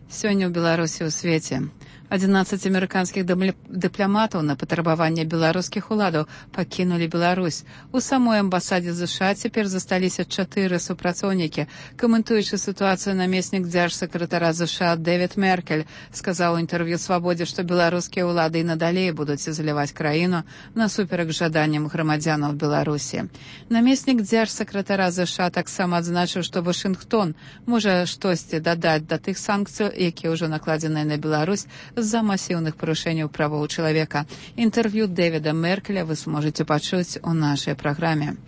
[SPEAKER 3] Сёння ў Беларусі ў свеце. 11 амерыканскіх дыпламатаў на патрабаванне беларускіх уладаў пакінулі Беларусь. У самой амбасадзе ЗША цяпер засталіся 4 супрацоўнікі. Каментуючы сітуацыю, намеснік дзяржсакратара ЗША Дэвід Меркель сказаў у інтэрв'ю «Свабодзе», што беларускія ўлады і надалей будуць ізаляваць краіну насуперак жаданням грамадзянаў Беларусі. Намеснік дзяржсакратара ЗША таксама адзначыў, што Вашынгтон можа штосьці дадаць да тых санкцый, якія ўжо накладзеныя на Беларусь з-за масіўных парушэнняў правоў чалавека. Інтэрв'ю Дэвіда Меркеля вы зможаце пачуць у нашай праграме.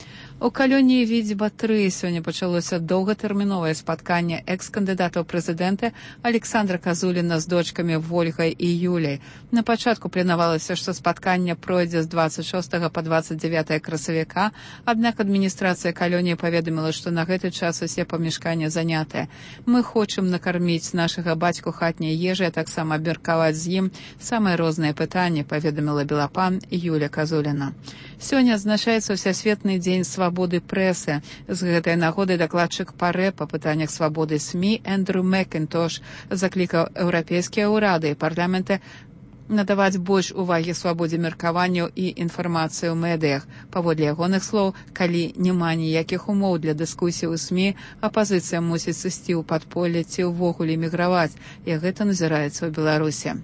[SPEAKER 3] У калоніі Відзьба-3 сёння пачалося доўгатэрміновае спатканне экс-кандыдатаў прэзідэнта Александра Казуліна з дочкамі Вольгай і Юляй. На пачатку планавалася, што спатканне пройдзе з 26 па 29 красавіка, аднак адміністрацыя калоніі паведаміла, што на гэты час усе памяшканні занятыя. Мы хочам накарміць нашага бацьку хатняй ежай, а таксама абмеркаваць з ім самыя розныя пытанні, паведаміла белапан Юля Казуліна. Сёння адзначаецца Всесветны дзень свабоды прэсы. З гэтай нагоды дакладчык ПАРЭ па пытаннях свабоды СМІ Эндрю Макінтош заклікаў еўрапейскія ўрады і парламенты надаваць больш увагі свабодзе меркаванняў і інфармацыі ў медыях. Паводле ягоных слоў, калі няма ніякіх умоў для дыскусій у СМІ, апазіцыя мусіць сысці ў падполле ці ўвогуле міграваць, і гэта назіраецца ў Беларусі.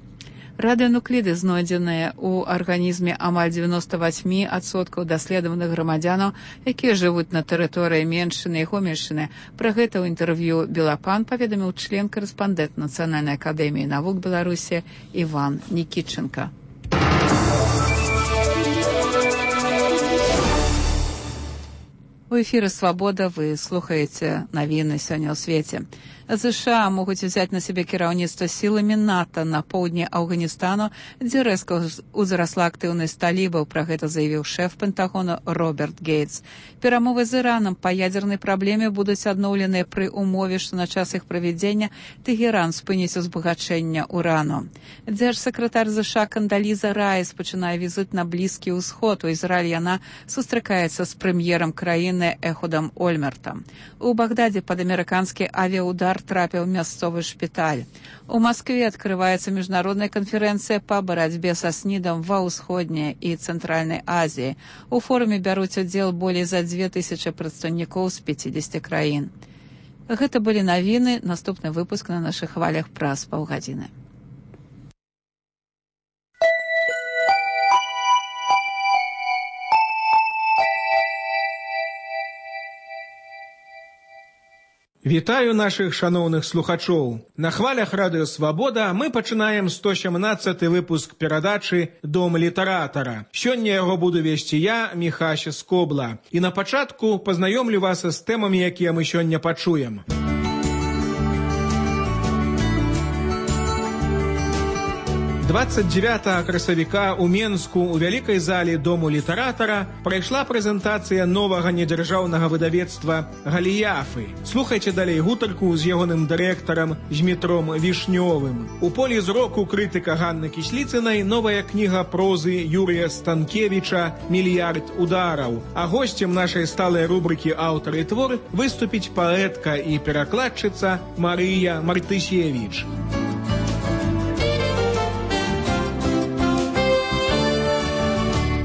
[SPEAKER 3] Радыенукліды, знойдзеныя ў арганізме амаль 98% даследаваных грамадзянаў, якія жывуць на тэрыторыі Меншчыны і Гомельшчыны. Пра гэта ў інтэрв'ю «Белапан» паведаміў член-карэспандэнт Нацыянальнай акадэміі навук Беларусі Іван Нікітченка. У эфіры «Свабода» вы слухаеце навіны сёння ў свеце. ЗША могуць узяць на сябе кіраўніцтва сіламі НАТО на поўдні Афганістану, дзе рэзка ўзрасла актыўнасць талібаў, пра гэта заявіў шэф Пентагону Роберт Гейтс. Перамовы з Іранам па ядзернай праблеме будуць адноўленыя пры умове, што на час іх правядзення Тэгеран спыніць узбагачэнне урану. Дзяржсакратар ЗША Кандаліза Райс пачынае візіт на Блізкі ўсход. У Ізраіль яна сустракаецца з прэм'ерам краіны Эхудам Ольмертам. У Багдадзе пад амерыканскі авіаудар трапіў мясцовы шпіталь. У Маскве адкрываецца міжнародная канферэнцыя па барацьбе са СНІДам ва ўсходняй і цэнтральнай Азіі. У форуме бяруць удзел болей за 2000 прадстаўнікоў з 50 краін. Гэта былі навіны. Наступны выпуск на нашых хвалях праз паўгадзіны.
[SPEAKER 5] Вітаю нашых шаноўных слухачоў. На хвалях радыё «Свабода» мы пачынаем 117 выпуск перадачы «Дом літаратара». Сёння яго буду весці я, Міхася Скобла. І на пачатку пазнаёмлю вас з тэмамі, якія мы сёння пачуем. 29 красавіка ў Менску у вялікай зале Дому літаратара прайшла прэзентацыя новага недзяржаўнага выдавецтва «Галіяфы». Слухайце далей гутарку з ягоным дырэктарам Змітром Вішнёвым. У полі зроку крытыка Ганны Кісліцынай новая кніга прозы Юрія Станкевіча «Мільярд удараў». А госцем нашай сталай рубрыкі «Аўтар і твор» выступіць паэтка і перакладчыца Марыя Мартысевіч.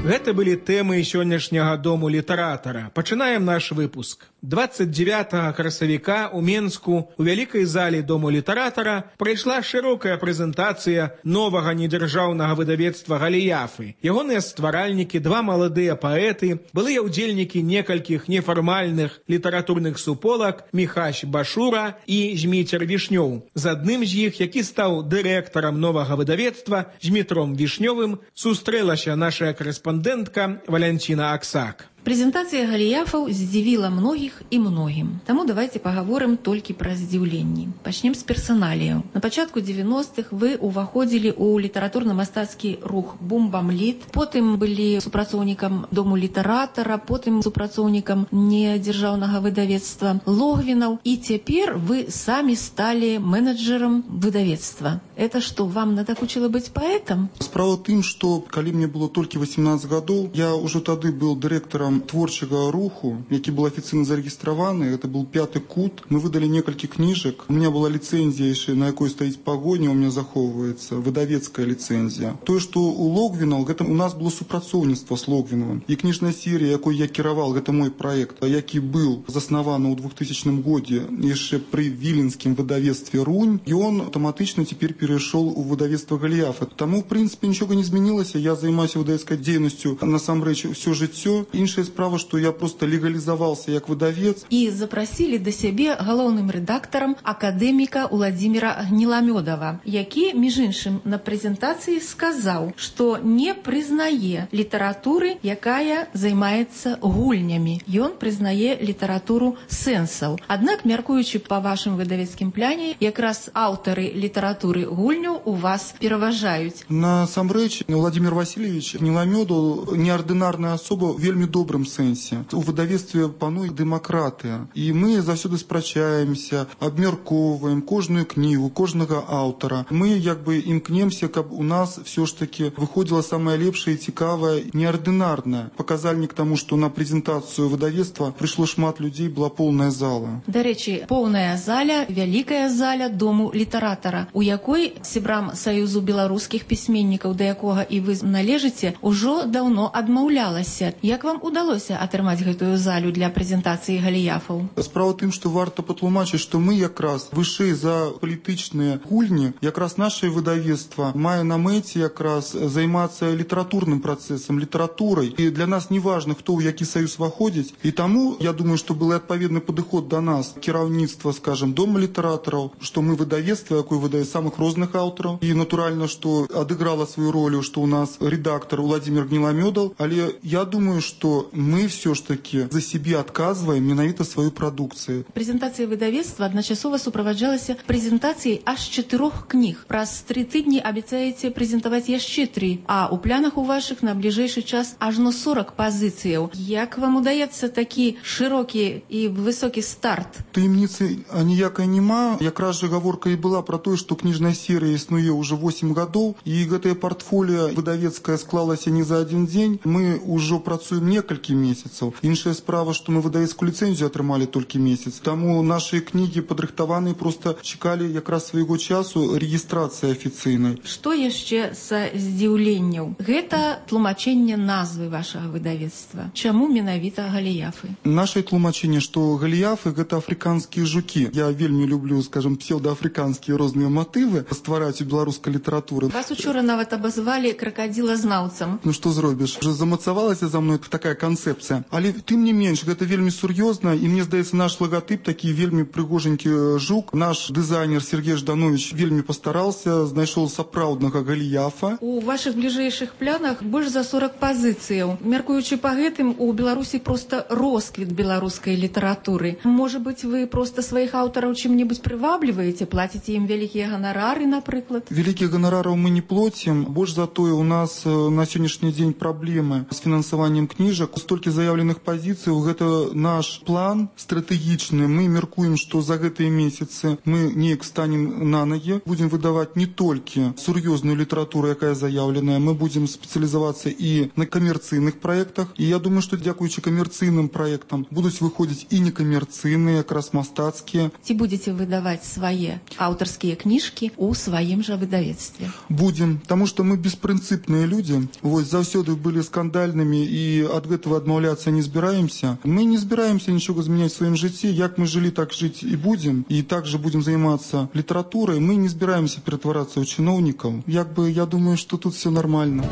[SPEAKER 5] Гэта былі тэмы сённяшняга Дому літаратара. Пачынаем наш выпуск. 29 красавіка ў Менску у вялікай зале Дому літаратара прайшла шырокая прэзентацыя новага недзяржаўнага выдавецтва «Галіяфы». Ягоныя стваральнікі, два маладыя паэты, былыя ўдзельнікі некалькіх нефармальных літаратурных суполак Міхась Башура і Зміцер Вішнёў. З адным з іх, які стаў дырэктарам новага выдавецтва, Змітром Вішнёвым, сустрэлася наша корэспандэнтка Валянціна Аксак.
[SPEAKER 25] Прэзентацыя галіяфаў здзівіла многіх і многім. Таму давайте пагаворым толькі пра здзіўленні. Пачнем з персаналіяў. На пачатку 90-х вы ўваходзілі ў літаратурна-мастацкі рух «Бум-бам-літ», потым былі супрацоўнікам Дому літаратара, потым супрацоўнікам недзяржаўнага выдавецтва «Логвінаў», і цяпер вы самі сталі менеджерам выдавецтва. Это што, вам надакучыла быць паэтам?
[SPEAKER 6] Справа ў тым, што калі мне было толькі 18 гадоў, я ўжо тады быў дырэктарам творчага руху, які был афіцыйна зарэгістраваны. Это был «Пяты кут». Мы выдали некалькі кніжак. У меня была ліцэнзія, на якой стаіць пагоня, у меня захоўваецца выдавецкая ліцэнзія. Тое, што у Логвінаў, гэта у нас было супрацоўніцтва з Логвінавым. І кніжная серія, якой я кіраваў, гэта мой праект, які быў заснаваны ў 2000 годзе яшчэ пры віленскім выдавецтве «Рунь», і он аўтаматычна цяпер перайшоў у выдавецтва «Галіяфы». Таму, в прынцыпе, нічога не змянілася. Я займаюся выдавецкай дзейнасцю насамрэч усё жыццё. Іншая справа, што я просто легалізаваўся як выдавец.
[SPEAKER 25] І запрасілі да сябе галоўным рэдактарам акадэміка Уладзіміра Гніламёдава, які, між іншым, на прэзентацыі сказаў, што не прызнае літаратуры, якая займаецца гульнямі. Ён прызнае літаратуру сэнсаў. Аднак, мяркуючы па вашым выдавецкім пляне, якраз аўтары літаратуры гульняў у вас пераважаюць.
[SPEAKER 6] Насамрэч, Владимир Васильевич Гніламёдаў неардынарная асоба, вельмі добрым сэнсе. У выдавецтве пануе дэмакратыя. І мы заўсёды спрачаемся, абмяркоўваем кожную кнігу, кожнага аўтара. Мы як бы імкнемся, каб у нас все ж таки выходзіла самае лепшае, цікавае, неардынарнае. Паказальнік таму, што на прэзентацыю выдавецтва прыйшло шмат людзей, была поўная зала.
[SPEAKER 25] Дарэчы, поўная заля, вялікая заля Дому літаратара, у якой сябрам Саюзу беларускіх пісьменнікаў, да якога і вы належыце, ужо даўно адмаўлялася. Як вам удалося атрымаць гэтую залю для прэзентацыі галіяфаў?
[SPEAKER 6] Справа тым, што варта патлумачыць, што мы якраз вышэй за палітычныя гульні, якраз наше выдавецтва мае на мэце якраз займацца літаратурным працэсам, літаратурай. І для нас не важна, хто ў які саюз ваходзіць. І таму, я думаю, што был адпаведны падыход да нас, кіраўніцтва, скажем, Дома літаратараў, што мы выдавецтва, якое выдае самых розных аўтараў. І натуральна, што адыграла сваю ролю, што у нас рэдактар Уладзімір Гніламёдаў, але я думаю, что мы все ж таки за себе отказываем менавіта свою прадукцыю.
[SPEAKER 25] Прэзентацыя выдавецтва адначасова суправаджалася прэзентацыяй аж 4 кніг. Праз 3 тыдні абяцаеце прэзентаваць яшчэ 3, а ў планах у вашых на бліжэйшы час ажно 40 пазіцыяў. Як вам удаецца такі шырокі і высокі старт?
[SPEAKER 6] Таемніцы аніякай няма. Якраз жа гаворка і была пра тое, што кніжная серыя існуе ўжо 8 гадоў, і гэтае партфоліо выдавецкае склалася не за адзін дзень. Мы ўжо працуем некалькі месяцаў. Іншая справа, што мы выдавецкую ліцэнзію атрымалі толькі месяц. Таму нашы кнігі падрыхтаваныя, проста чакалі якраз свайго часу рэгістрацыі афіцыйнай.
[SPEAKER 25] Што яшчэ са здзіўленняў? Гэта тлумачэнне назвы вашага выдавецтва. Чаму менавіта галіяфы?
[SPEAKER 6] Наше тлумачэнне, што галіяфы гэта афрыканскія жукі. Я вельмі люблю, скажем, псевдоафрыканскія розныя матывы ствараць у беларускай літаратуры.
[SPEAKER 25] Вас учора нават абазвалі кракадзілазнаўцам.
[SPEAKER 6] Ну што зробіш? Уже замацавалася за мной такая канцэпцыя. Але тым не менш, гэта вельмі сур'ёзна, і мне здаецца, наш лагатып такі вельмі прыгоженькі жук. Наш дызайнер Сергей Жданович вельмі пастараўся, знайшоў сапраўднага галіяфа.
[SPEAKER 25] У вашых бліжэйшых планах больш за 40 пазіцыяў. Мяркуючы па гэтым, у Беларусі проста росквіт беларускай літаратуры. Можа быць, вы проста сваіх аўтараў чым-небудзь прывабліваеце, плаціце ім вялікія ганарары, напрыклад?
[SPEAKER 6] Вялікіх ганарараў мы не плоцім. Больш за тое, у нас на сённяшні дзень праблемы з фінансаваннем кніжак. Столькі заявленых пазіцый, гэта наш план стратэгічны. Мы мяркуем, што за гэтыя месяцы мы неяк станем на ногі, будзем выдаваць не толькі сур'ёзную літаратуру, якая заяўленая, мы будзем спецыялізавацца і на камерцыйных праектах. І я думаю, што дзякуючы камерцыйным праектам будуць выходзіць і некамерцыйныя, якраз мастацкія.
[SPEAKER 25] Ці будзеце выдаваць свае аўтарскія кніжкі ў сваім жа выдавецтве?
[SPEAKER 6] Будзем, таму што мы беспрынцыпныя людзі. Вось заўсёды былі скандальнымі, і ад гэтага этого отмаўляться не збираемся. Мы не збираемся ничего изменять в своем житті. Як мы жили, так жить и будем. И также будем заниматься литературой. Мы не збираемся перетворяться в чиновников. Я думаю, что тут все нормально.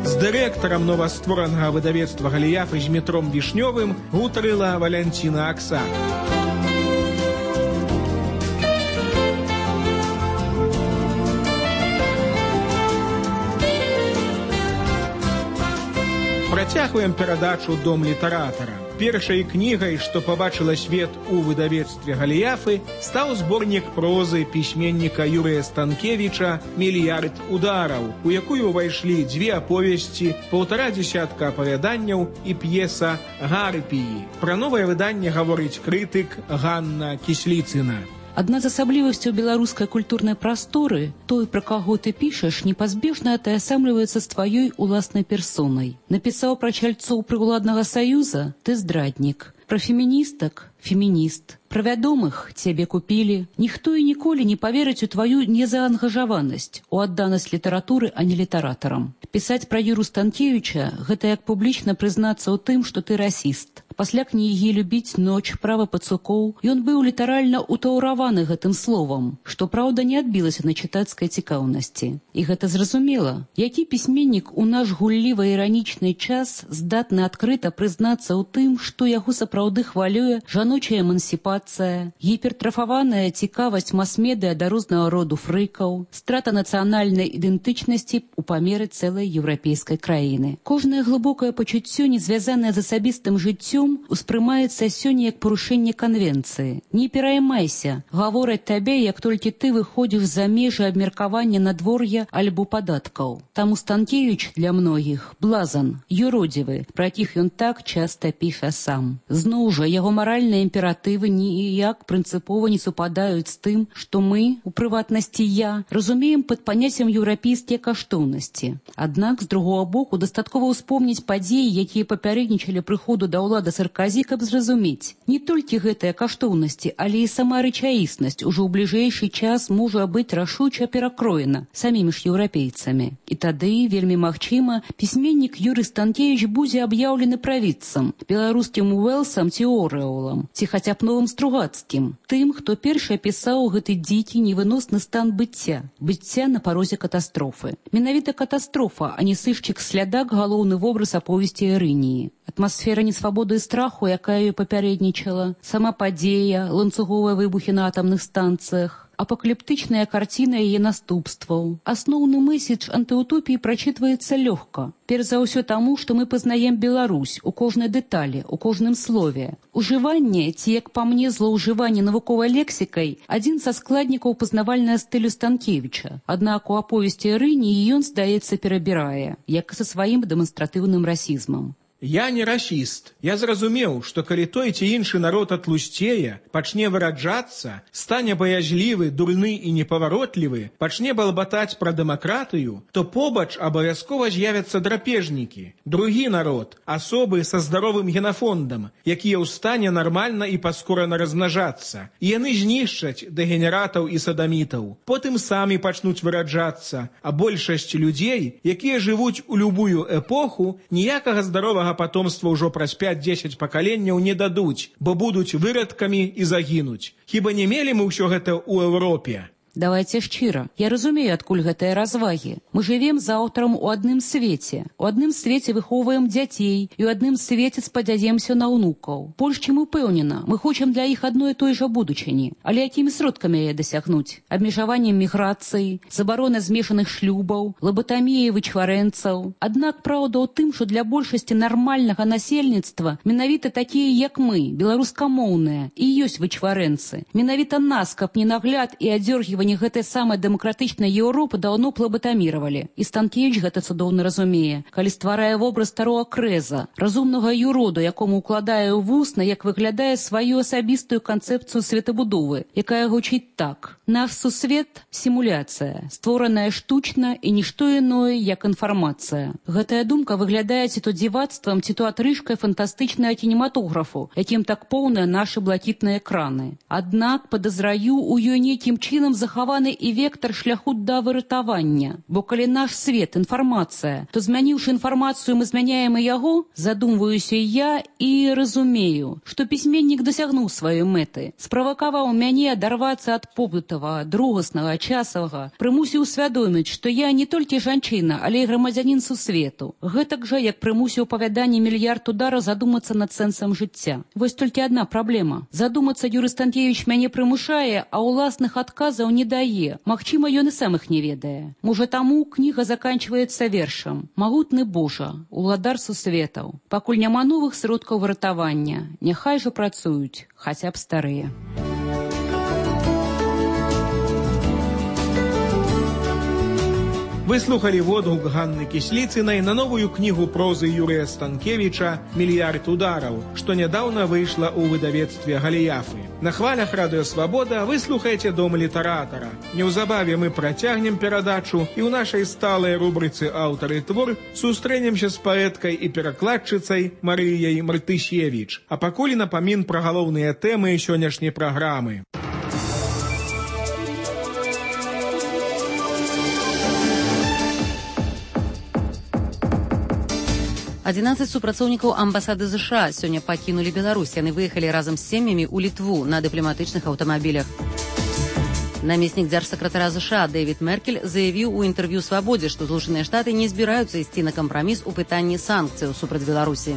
[SPEAKER 5] З дырэктарам новастворанага выдавецтва «Галіяфы» Змітром Вішнёвым гутарыла Валянціна Аксак. Працягваем перадачу «Дом літаратара». Першай кнігай, што пабачыла свет у выдавецтве «Галіяфы», стаў зборнік прозы пісьменніка Юрыя Станкевіча «Мільярд удараў», у якую ўвайшлі 2 аповесці, 1,5 дзесятка апавяданняў і п'еса «Гарпіі». Пра новае выданне гаворыць крытык Ганна Кісліцына.
[SPEAKER 7] Адна з асаблівасцяў беларускай культурнай прасторы, той, пра каго ты пішаш, непазбежна атаясамліваецца з тваёй уласнай персонай. Напісаў пра чальцоў прыўладнага саюза, ты здраднік. Пра феміністак – фемініст. Пра вядомых цябе купілі. Ніхто і ніколі не паверыць у тваю незаангажаванасць, у адданасць літаратуры, а не літаратарам. Пісаць пра Юру Станкевіча – гэта як публічна прызнацца ў тым, што ты расіст. Пасля кнігі «Любіць ноч», «Права пацукоў» ён быў літаральна ўтаўраваны гэтым словам, што, праўда, не адбілася на чытацкай цікаўнасці. І гэта зразумела. Які пісьменнік у наш гулліва-іранічны час здатны адкрыта прызнацца ў тым, што яго сапраўды хвалюе жаночая эмансіпацыя, гіпертрафаваная цікавасць мас-медыя да рознага роду фрыкаў, страта нацыянальнай ідэнтычнасці ў памеры цэлай еўрапейскай краіны. Кожнае глыбокае пачуццё, не звязанае з асабістым жыццём, успрымаецца сёння як парушэнне канвенцыі. Не пераймайся, гавораць табе, як толькі ты выходзіш за межы абмеркавання надвор'я альбо падаткаў. Таму Станкевіч для многіх блазан, юродзівы, пра якіх ён так часта піша сам. Зноў жа, яго маральныя імператывы ніяк прынцыпова не супадаюць з тым, што мы, у прыватнасці я, разумеем пад паняццем еўрапейскія каштоўнасці. Аднак, з другога боку, дастаткова ўспомніць падзеі, якія папярэднічалі прыходу да ўлады Сарказі, каб зразумець. Не толькі гэтыя каштоўнасці, але і сама рэчаіснасць ужо ў бліжэйшы час можа быць рашуча перакроена самімі ж еўрапейцамі. І тады, вельмі магчыма, пісьменнік Юрый Станкевіч будзе аб'яўлены правідцам, беларускім Уэлсам ці Орэолам, ці хаця б новым Стругацкім, тым, хто першы апісаў гэты дзікі невыносны стан быцця на парозе катастрофы. Менавіта катастрофа, а не сышчык-слядак галоўны вобраз аповесці Эрыніі. Атмасфера несвабоды і страху, якая ёй папярэднічала, сама падзея, ланцуговыя выбухі на атамных станцыях, апакаліптычная карціна яе наступстваў. Асноўны месседж антыутопіі прачытваецца лёгка. Перш за ўсё таму, што мы пазнаем Беларусь у кожнай дэталі, у кожным слове. Ужыванне, ці, як па мне, злоўжыванне навуковай лексікай, адзін са складнікаў пазнавальнага стылю Станкевіча. Аднак у аповесці Эрыніі ён, здаецца, перабірае, як і са сваім дэманстратыўным расізмам.
[SPEAKER 5] Я не расіст. Я зразумеў, што калі той ці іншы народ атлусцее, пачне выраджацца, стане баязлівы, дурны і непаваротлівы, пачне балбатаць пра дэмакратыю, то побач абавязкова з'явяцца драпежнікі. Другі народ, асобы са здаровым генафондам, якія ў стане нармальна і паскорана размнажацца. І яны знішчаць дэгенератаў і садамітаў. Потым самі пачнуць выраджацца, а большасць людзей, якія жывуць у любую эпоху, ніякага здаровага патомства ўжо праз 5-10 пакаленняў не дадуць, бо будуць вырадкамі і загінуць. Хіба не мелі мы ўсё гэта ў Еўропе?
[SPEAKER 7] Давайте шчыра. Я разумею, адкуль гэтыя развагі. Мы жывем з аўтарам у адным свеце. У адным свеце выхоўваем дзяцей і ў адным свеце спадзяемся на ўнукаў. Больш чым упэўнена, мы хочам для іх адной і той жа будучыні. Але якімі сродкамі яе дасягнуць? Абмежаваннем міграцыі, забарона змешаных шлюбаў, лабатаміяй вычварэнцаў. Аднак праўда ў тым, што для большасці нармальнага насельніцтва менавіта такія, як мы, беларускамоўныя, і ёсць вычварэнцы. Менавіта нас, каб не нагляд і адзёргіванне гэтай самай дэмакратычнай Еўропы даўно плабатаміравалі. І Станкевіч гэта цудоўна разумее, калі стварае вобраз старога крэза, разумнага юроду, якому укладае ў вусна, як выглядае сваю асабістую канцэпцыю светабудовы, якая гучыць так. Наш сусвет – сімуляцыя, створаная штучна і нішто іное, як інфармацыя. Гэтая думка выглядае ці то дзівацтвам, ці то атрыжкай фантастычнага кінематографу, якім так поўныя нашы блакітныя экраны. Аднак, падазраю, у ёй нейкім чынам захаваецца захаваны і вектар шляху да выратавання. Бо калі наш свет — інфармацыя, то змяніўшы інфармацыю, мы змяняем і яго, задумваюся я і разумею, што пісьменнік дасягнуў сваёй мэты, справакаваў мяне адарвацца ад побытавага, другаснага, часавага, прымусіў усвядоміць, што я не толькі жанчына, але і грамадзянін сусвету. Гэтак жа, як прымусіў павяданне «Мільярд удараў» задумацца над сэнсам жыцця. Вось толькі адна праблема. Задумацца Юрый Станкевич мяне прымушае, а ўласных адказаў не дае. Магчыма, ён і сам іх не ведае. Можа, таму кніга заканчваецца вершам. «Магутны Божа, уладар сусветаў, пакуль няма новых сродкаў выратавання, няхай жа працуюць, хаця б старыя».
[SPEAKER 5] Вы слухали водгук Ганны Кісліцынай на новую кнігу прозы Юрыя Станкевіча «Мільярд удараў», што нядаўна выйшла ў выдавецтве Галіяфы. На хвалях Радыё Свабода вы слухаеце «Дом літаратара». Неўзабаве мы працягнем перадачу і ў нашай сталай рубрыцы «Аўтары твор» сустрэнемся з паэткай і перакладчыцай Марыяй Мартышевіч. А пакуль напамін пра галоўныя тэмы сённяшняй праграмы.
[SPEAKER 1] 11 супрацоўнікаў амбасады США сёння пакінулі Беларусь. Яны выехалі разам з сем'ямі ў Літву на дыпламатычных аўтамабілях. Намеснік дзяржсакратара США Дэвід Меркель заявіў у інтэрв'ю «Свабодзе», што Злучаныя Штаты не збіраюцца ісці на кампраміс у пытанні санкцыяў супраць Беларусі.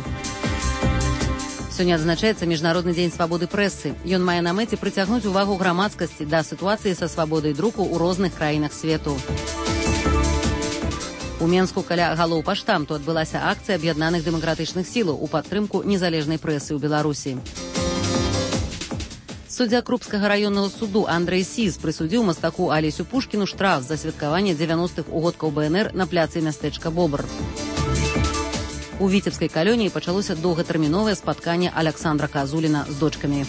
[SPEAKER 1] Сёння адзначаецца Міжнародны дзень свабоды прэсы. Ён мае на мэце прыцягнуць увагу грамадскасці да сітуацыі са свабодай друку ў розных краінах свету. У Менску каля галоў паштамту адбылася акцыя аб'яднаных дэмакратычных сілаў у падтрымку незалежнай прэсы ў Беларусі. Суддзя Крупскага раённага суду Андрэй Сіз прысудзіў мастаку Алесю Пушкіну штраф за святкаванне 90-х угодкаў БНР на пляцы мястэчка Бобр. У Віцебскай калоніі пачалося доўгатэрміновае спатканне Аляксандра Казуліна з дочкамі.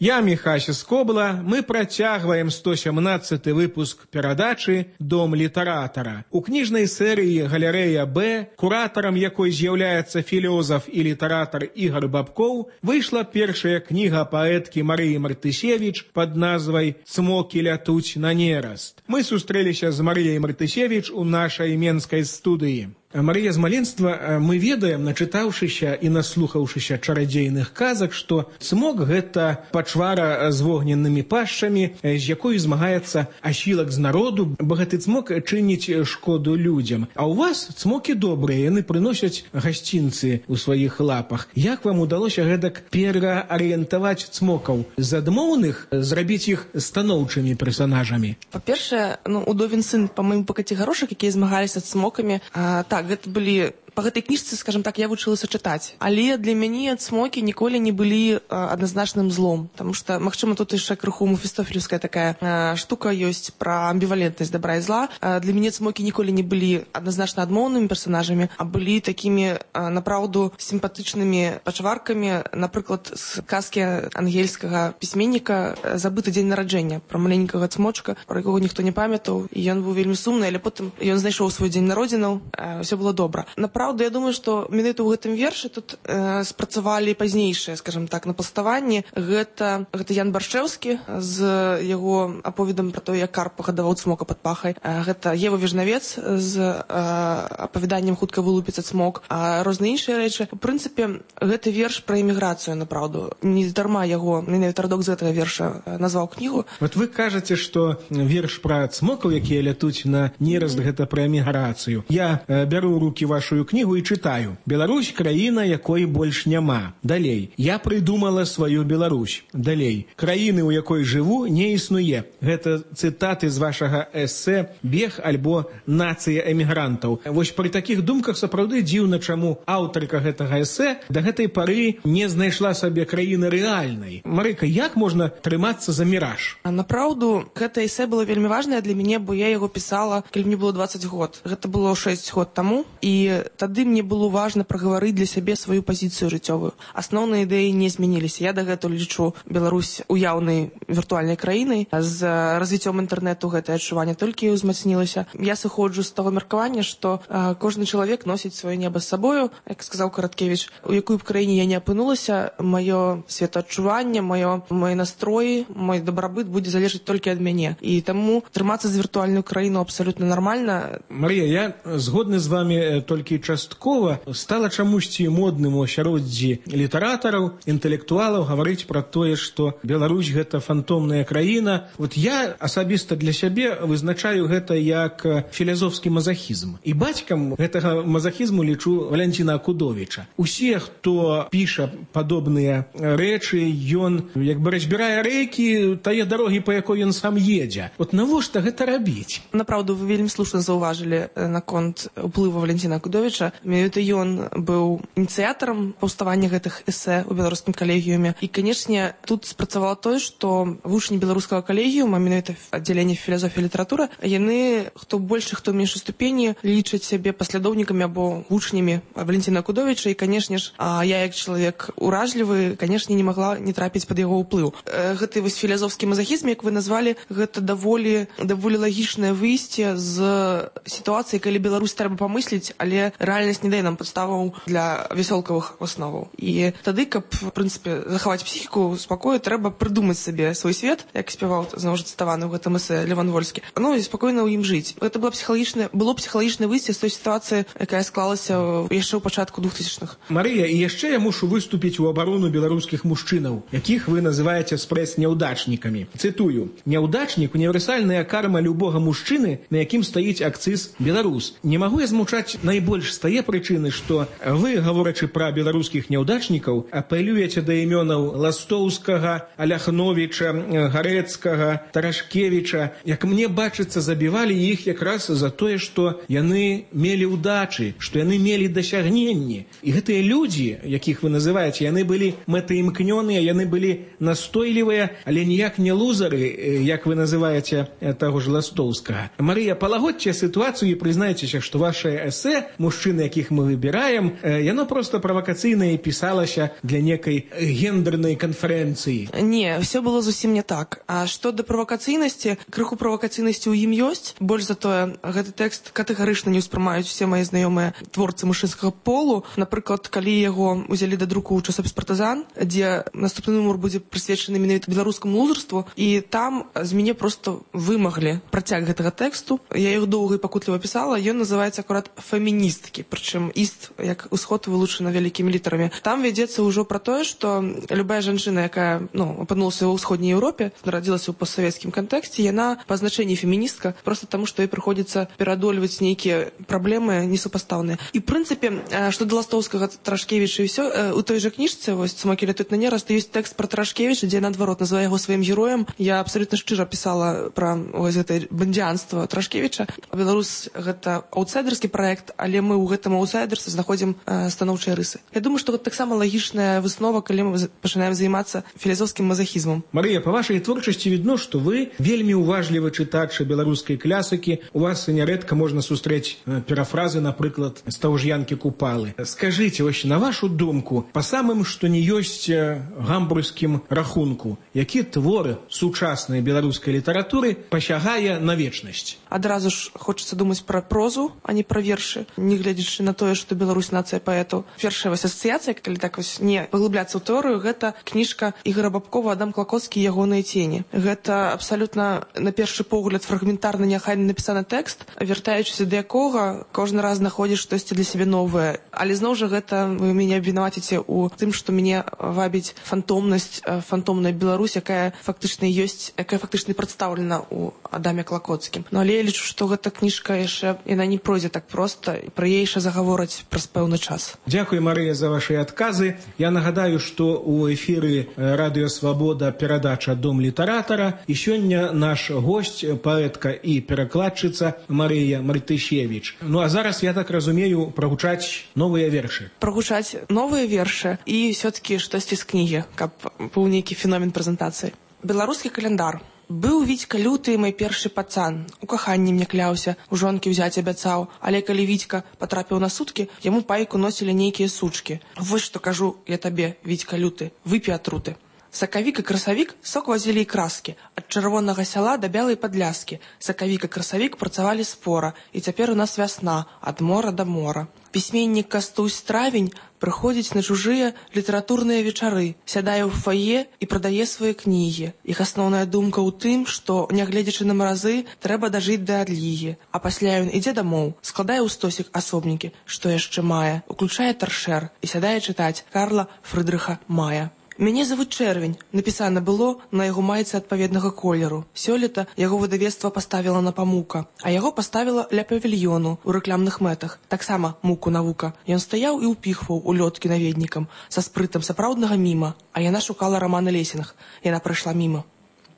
[SPEAKER 5] Я Міхася Скобла, мы працягваем 117 выпуск перадачы «Дом літаратара». У кніжнай серыі «Галерэя Б», куратарам якой з'яўляецца філёзаф і літаратар Ігар Бабкоў, выйшла першая кніга паэткі Марыі Мартышевіч пад назвай «Цмокі лятуць на нераст». Мы сустрэліся з Марыяй Мартышевіч у нашай менскай студыі. Марыя, з маленства мы ведаем, начытаўшыся і наслухаўшыся чарадзейных казак, што цмок – гэта пачвара з вогненнымі пашчамі, з якой змагаецца асілак з народу, бо гэты цмок чыніць шкоду людзям. А ў вас цмокі добрыя, яны прыносяць гасцінцы ў сваіх лапах. Як вам удалося гэтак пераарыентаваць цмокаў? З адмоўных зрабіць іх станоўчымі персанажамі?
[SPEAKER 9] Па-першае, удовін сын па маім пакаце гарошак, якія змагаліся з цмокамі. Так, гэта былі... Па гэтай кніжцы, скажем так, я вучылася чытаць. Але для мяне цмокі ніколі не былі адназначным злом. Таму што, магчыма, тут яшчэ крыху мефістофелевская такая штука ёсць пра амбівалентнасць добра і зла. Для мяне цмокі ніколі не былі адназначна адмоўнымі персанажамі, а былі такімі, напраўду, сімпатычнымі пачваркамі, напрыклад, з казкі ангельскага пісьменніка «Забыты дзень нараджэння», пра маленькага цмочка, пра якога ніхто не памятаў, і ён быў вельмі сумны, але потым ён знайшоў свой дзень народзінаў, ўсё было добра. Праўда, я думаю, што менавіта ў гэтым вершы тут спрацавалі пазнейшыя, скажем так, напаставанні. Гэта Ян Баршчэўскі з яго аповедам пра то, як карп пагадаваў цмока пад пахай. Гэта Ева Вежнавец з апавяданнем «Хутка вылупіцца цмок», а розныя іншыя рэчы. У прынцыпе, гэты верш пра эміграцыю, напраўду. Не дарма яго, менавіта радок з гэтага верша назваў кнігу.
[SPEAKER 5] Вот вы кажаце, што верш пра цмокаў, якія лятуць на нераст, гэта пра эміграцыю. Я бяру ў рукі вашу кнігу і чытаю. Беларусь – краіна, якой больш няма. Далей. Я прыдумала сваю Беларусь. Далей. Краіны, у якой жыву, не існуе. Гэта цытаты з вашага эсэ «Бег» альбо «Нацыя эмігрантаў». Вось пры такіх думках сапраўды дзіўна, чаму аўтарка гэтага эсэ да гэтай пары не знайшла сабе краіны рэальнай. Марыка, як можна трымацца за міраж?
[SPEAKER 9] Напраўду, гэта эсэ было вельмі важнае для мяне, бо я яго пісала, калі мне было 20 год. Гэта было 6 год таму, і Тады мне было важна прагаварыць для сябе сваю пазіцыю жыццёвую. Асноўныя ідэі не змяніліся. Я дагэтуль лічу Беларусь уяўнай віртуальнай краінай. З развіццём інтэрнэту гэтае адчуванне толькі ўзмацнілася. Я сыходжу з таго меркавання, што кожны чалавек носіць сваё неба з сабою, як сказаў Караткевіч, у якой б краіне я не апынулася, маё светаадчуванне, мой настрой, мой дабрабыт будзе залежаць толькі ад мяне. І таму трымацца за віртуальную краіну абсалютна нармальна.
[SPEAKER 5] Марія, я згодны з вами толькі часткова. Стала чамусьці модным у асяроддзі літаратараў, інтэлектуалаў гаварыць пра тое, што Беларусь гэта фантомная краіна. Вот я асабіста для сябе вызначаю гэта як філазофскі мазахізм. І бацькам гэтага мазахізму лічу Валянціна Акудовіча. Усе, хто піша падобныя рэчы, ён як бы разбірае рэйкі тае дарогі, па якой ён сам едзе. Вот навошта гэта рабіць?
[SPEAKER 9] Направду, вы вельмі слушна заўважылі наконт уплыву Валянціна Акудовіча. Менавіта ён быў ініцыятарам паўставання гэтых эсэ ў беларускім калегіуме. І, канешне, тут спрацавала тое, што вучні беларускага калегіума, менавіта аддзяленне філазофіі і літаратура, яны, хто больш, хто меншай ступені, лічаць сябе паслядоўнікамі або вучнямі Валянціна Акудовіча. І, канешне ж, я, як чалавек уражлівы, канешне, не магла не трапіць пад яго ўплыў. Гэты вось філазофскі мазахізм, як вы назвалі, гэта даволі лагічнае выйсце з сітуацыі, калі Беларусь трэба памысліць, але рэальнасць не дае нам падставаў для вясёлкавых асноваў. І тады, каб, в прынцыпе, захаваць псіхіку спакою, трэба прыдумаць сабе свой свет, як спяваў, зноў жа цытаваны ў гэтым эсэ Леван Вольскі. Ну, і спакойна ў ім жыць. Гэта было псіхалагічнае выйсце з той сітуацыі, якая склалася яшчэ ў пачатку 2000-х.
[SPEAKER 5] Марыя, і яшчэ я мушу выступіць у абарону беларускіх мужчынаў, якіх вы называеце спрэс-няўдачнікамі. Цытую: «Няўдачнік – універсальная карма любога мужчыны, на якім стаіць акцыз беларус». Не магу я змучаць найбольш з тае прычыны, што вы, гаворачы пра беларускіх няўдачнікаў, апелюеце да імёнаў Ластоўскага, Аляхновіча, Гарэцкага, Тарашкевіча. Як мне бачыцца, забівалі іх якраз за тое, што яны мелі ўдачы, што яны мелі дасягненні. І гэтыя людзі, якіх вы называеце, яны былі мэтаімкнёныя, яны былі настойлівыя, але ніяк не лузары, як вы называеце таго ж Ластоўскага. Марыя, палагодзьце сітуацыю і прызнайцеся, што вашае эсэ «Мужчыны, якіх мы выбіраем», яно проста правакацыйнае пісалася для некай гендернай канферэнцыі.
[SPEAKER 9] Не, все было зусім не так. А што да правакацыйнасці, крыху правакацыйнасці ў ім ёсць. Больш за тое, гэты тэкст катэгарычна не ўспрымаюць усе мае знаёмыя творцы мужчынскага полу. Напрыклад, калі яго ўзялі да друку ў часопіс «Партызан», дзе наступны нумар будзе прысвечаны менавіта беларускаму лузарству, і там з мяне проста вымаглі працяг гэтага тэксту. Я іх доўга і пакутліва пісала. Ён называецца акурат «Феміністкі», прычым «іст» як усход вылучана вялікімі літарамі. Там вядзецца ўжо пра тое, што любая жанчына, якая апынулася ў ўсходняй Еўропе, нарадзілася ў постсавецкім кантэксце, яна па значэнні феміністка, проста таму, што ёй прыходзіцца пераадольваць нейкія праблемы несупастаўныя. І, в прынцыпе, што да Ластоўскага, Тарашкевіча і ўсё, у той жа кніжцы, вось «Цмокі летуць на нераст», ёсць тэкст пра Тарашкевіча, дзе наадварот называе яго сваім героем. Я абсалютна шчыра пісала пра гэтае бандзіанства Тарашкевіча. Беларус — гэта аўтсайдерскі праект, але мы ў гэтым аўтсайдерстве знаходзім станоўчыя рысы. Я думаю, што гэта таксама лагічная выснова, калі мы пачынаем займацца філазофскім мазахізмам.
[SPEAKER 5] Марыя, па вашай творчасці відно, што вы вельмі уважлівы чытач беларускай класікі. У вас нярэдка можна сустрэць парафразы, напрыклад, з таго ж Янкі Купалы. Скажыце, вось на вашу думку, па самым што не ёсць гамбургскім рахунку, які твор сучаснай беларускай літаратуры пасягае на вечнасць?
[SPEAKER 9] Адразу ж хочацца думаць пра прозу, а не пра вершы, не гледзячы на тое, што Беларусь нацыя паэтаў. Першая вось асацыяцыя, калі так вось не паглыбляцца ў тэорыю, гэта кніжка Ігора Бабкова «Адам Клакоцкі і ягоныя цені». Гэта абсалютна, на першы погляд, фрагментарна неахайна напісаны тэкст, вяртаючыся да якога кожны раз знаходзіш штосьці для сябе новае. Але зноў жа гэта вы мяне абвінаваціце ў тым, што мяне вабіць фантомнасць, фантомная Беларусь, якая фактычна ёсць, якая фактычна прадстаўлена ў Адаме Клакоцкім. Ну, але я лічу, што гэта кніжка яшчэ, яна не пройдзе так проста, і пра яе яшчэ загавораць праз пэўны час.
[SPEAKER 5] Дзякуй, Марыя, за вашы адказы. Я нагадаю, што ў эфіры Радыё Свабода перадача «Дом літаратара», і сёння наш госць, паэтка і перакладчыца Марыя Мартышевіч. Ну, а зараз, я так разумею, прагучаць новыя вершы.
[SPEAKER 9] Прагучаць новыя вершы і ўсё-такі штосьці з кнігі, каб быў нейкі феномен прэзентацыі. Беларускі календар. Быў Вітька люты мой першы пацан. У каханні мне кляўся, у жонкі ўзяць абяцаў. Але калі Вітька патрапіў на суткі, яму пайку носілі нейкія сучкі. Вось што кажу я табе, Вітька люты, выпі атруты. Сакавік і красавік сок вазілі і краскі. Ад чырвонага сяла да бялай падляскі. Сакавік і красавік працавалі спора. І цяпер у нас вясна, ад мора да мора. Пісьменнік Кастусь Травень прыходзіць на чужыя літаратурныя вечары, сядае ў фае і прадае свае кнігі. Іх асноўная думка ў тым, што, нягледзячы на маразы, трэба дажыць да адлігі. А пасля ён ідзе дамоў, складае ў стосік асобнікі, што яшчэ мае, уключае таршэр і сядае чытаць Карла Фрыдрыха Мая. Мяне завуць Чэрвень, напісана было на яго майцы адпаведнага колеру. Сёлета яго выдавецтва паставіла на памука, а яго паставіла ля павільёну ў рэкламных мэтах. Таксама муку навука. Ён стаяў і ўпіхваў у лёткі наведнікам са спрытам сапраўднага міма, а яна шукала рамана Лесінг. Яна прайшла міма.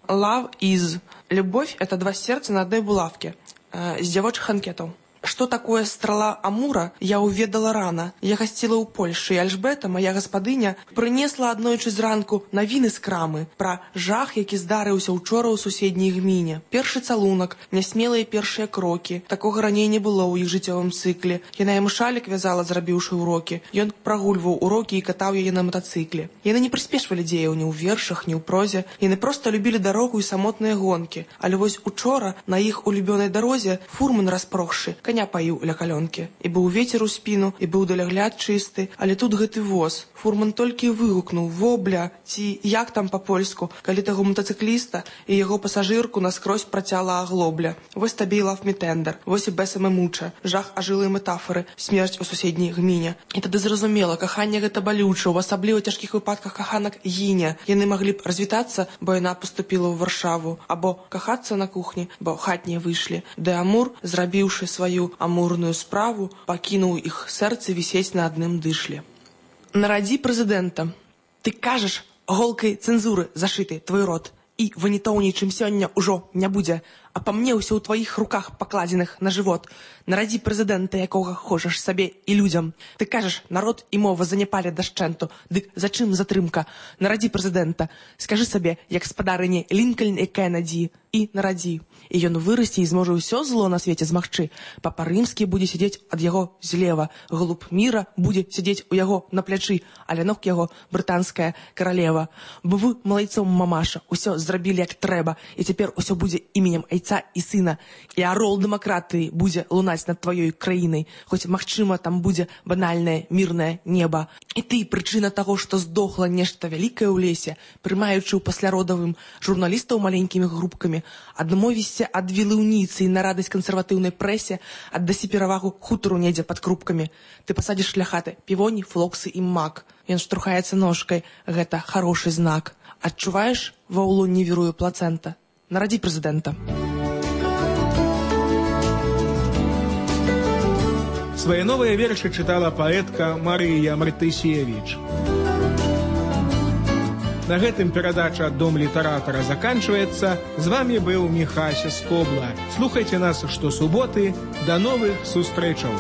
[SPEAKER 9] Love is. Любовь — это два сердца на одной булавке. З дзявочых анкетаў. Что такое страла Амура, я уведала рано. Я гасціла ў Польшы, і Альжбета, моя гаспадыня, прынесла аднойчы зранку навіны з крамы пра жах, які здарыўся учора ў суседняй гміне. Першы цалунак, нясмелыя першыя крокі. Такога раней не было ў іх жыццёвым цыкле. Яна яму шалік вязала, зрабіўшы ўрокі. Ён прагульваў урокі і катаў яе на матацыкле. Яны не прыспешвалі дзеяў ні ў вершах, ні ў прозе. Яны проста любілі дарогу і самотныя гонкі. Але вось учора на іх улюбёнай дарозе фурман распрохшы, коня паіў ля калёнкі. І быў вецер у спіну, і быў далягляд чысты, але тут гэты воз. Фурман толькі вигукнув «Вобля!» ці «Як там па-польску», калі таго мотоцикліста і яго пасажырку наскрозь працяла аглобля. Вось табе і лав мітендер, вось і бесаме муча, жах ажылыя метафоры, смерць у суседняй гміне. І тады зразумела, каханне гэта балюча, у асабліва цяжкіх выпадках каханак гіне. Яны маглі б развітацца, бо яна поступила ў Варшаву, або кахацца на кухні, бо хатнія выйшлі. Ды Амур, зрабіўшы сваю амурную справу, пакінуў іх сэрцы вісець на адным дышле. Нарадзі прэзідэнта. Ты кажаш, голкай цэнзуры зашыты твой рот, і ванітоўней, чым сёння ўжо не будзе, а па мне ўсё ў тваіх руках пакладзеных на жывот. Нарадзі прэзідэнта, якога хочаш сабе і людзям. Ты кажаш, народ і мова заняпалі дашчэнту. Дык зачым затрымка? Нарадзі прэзідэнта. Скажы сабе, як спадарыні Лінкальн і Кеннеді. І нарадзі. І ён вырасце і зможа ўсё зло на свеце змагчы. Папа Рымскі будзе сядзець ад яго злева. Голуб міра будзе сядзець у яго на плячы, а ля ног яго брытанская каралева. Бо вы малайцом, мамаша, усё зрабілі як трэба, і цяпер усё будзе іменем айца і сына. І арол дэмакратыі будзе лунаць над тваёй краінай, хоць, магчыма, там будзе банальнае мірнае неба. І ты, прычына таго, што здохла нешта вялікае ў лесе, прымаючы ў пасляродавым журналістаў маленькімі групкамі, адмовішся ад вілыўніцы і на радасць кансерватыўнай прэсе, аддасі перавагу хутару недзе пад крупкамі. Ты пасадзіш ля хаты півоні, флоксы і мак. Ён штурхаецца ножкай. Гэта хорошы знак. Адчуваеш, ва ўлонні віруе плацэнта? Нарадзі прэзідэнта.
[SPEAKER 5] Свае новыя вершы чытала паэтка Марыя Мартысевіч. На гэтым перадача «Дом літаратара» заканчваецца. З вамі быў Міхася Скобла. Слухайце нас штосуботы. Да новых сустрэчаў!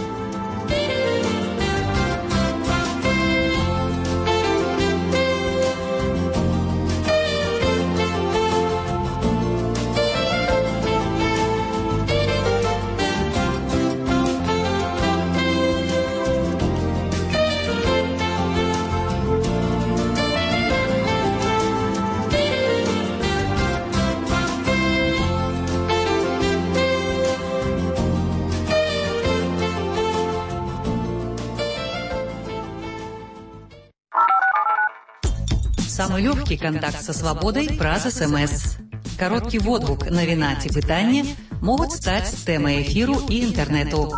[SPEAKER 1] Самый легкий контакт со свободой праз СМС. Короткий водгук, навіна ці пытанне могуць стаць тэмай эфіру і інтэрнэту.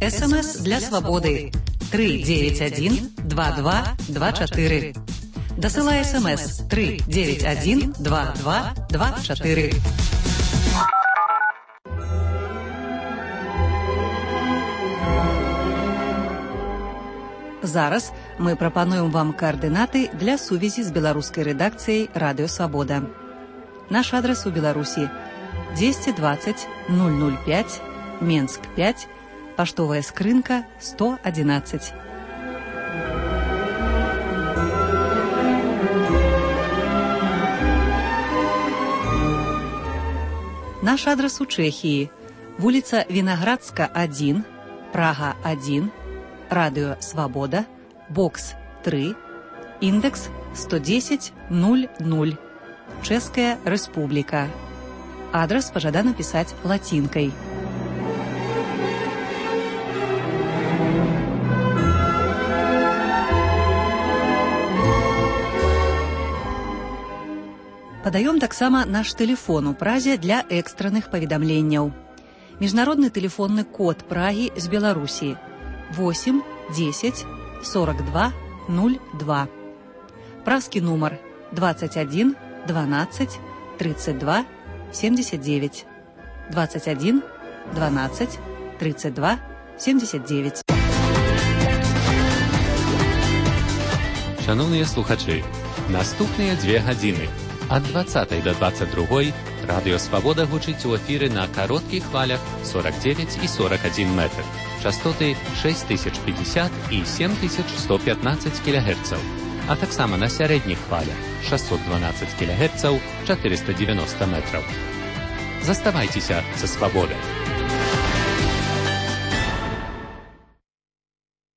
[SPEAKER 1] СМС для свободы 391-2224. Дасылай СМС 391-2224. Зараз мы прапануем вам координаты для сувязі з беларускай рэдакцыяй Радыё Свабода. Наш адрес у Беларусі 220 005, Менск 5, паштовая скрынка 111. Наш адрес у Чехии. Улица Виноградска, 1, Прага, 1, Радио Свобода, бокс 3, индекс 110-00, Чешская Республика. Адрес пожадано писать латинкой. Падаём таксама наш тэлефон у Празе для экстранных паведамленняў. Міжнародны тэлефонны код Прагі з Беларусі 8 10 42 02. Празкі нумар 21 12 32 79. 21 12 32 79.
[SPEAKER 10] Шановныя слухачы, наступныя 2 гадзіны ад 20 до 22 Радио Свобода гучыць у эфіры на кароткіх хвалях 49 і 41 метр. Частоты 6050 і 7115 кГц, а таксама на сярэдніх хвалях 612 кГц, 490 метров. Заставайцеся са свабодай.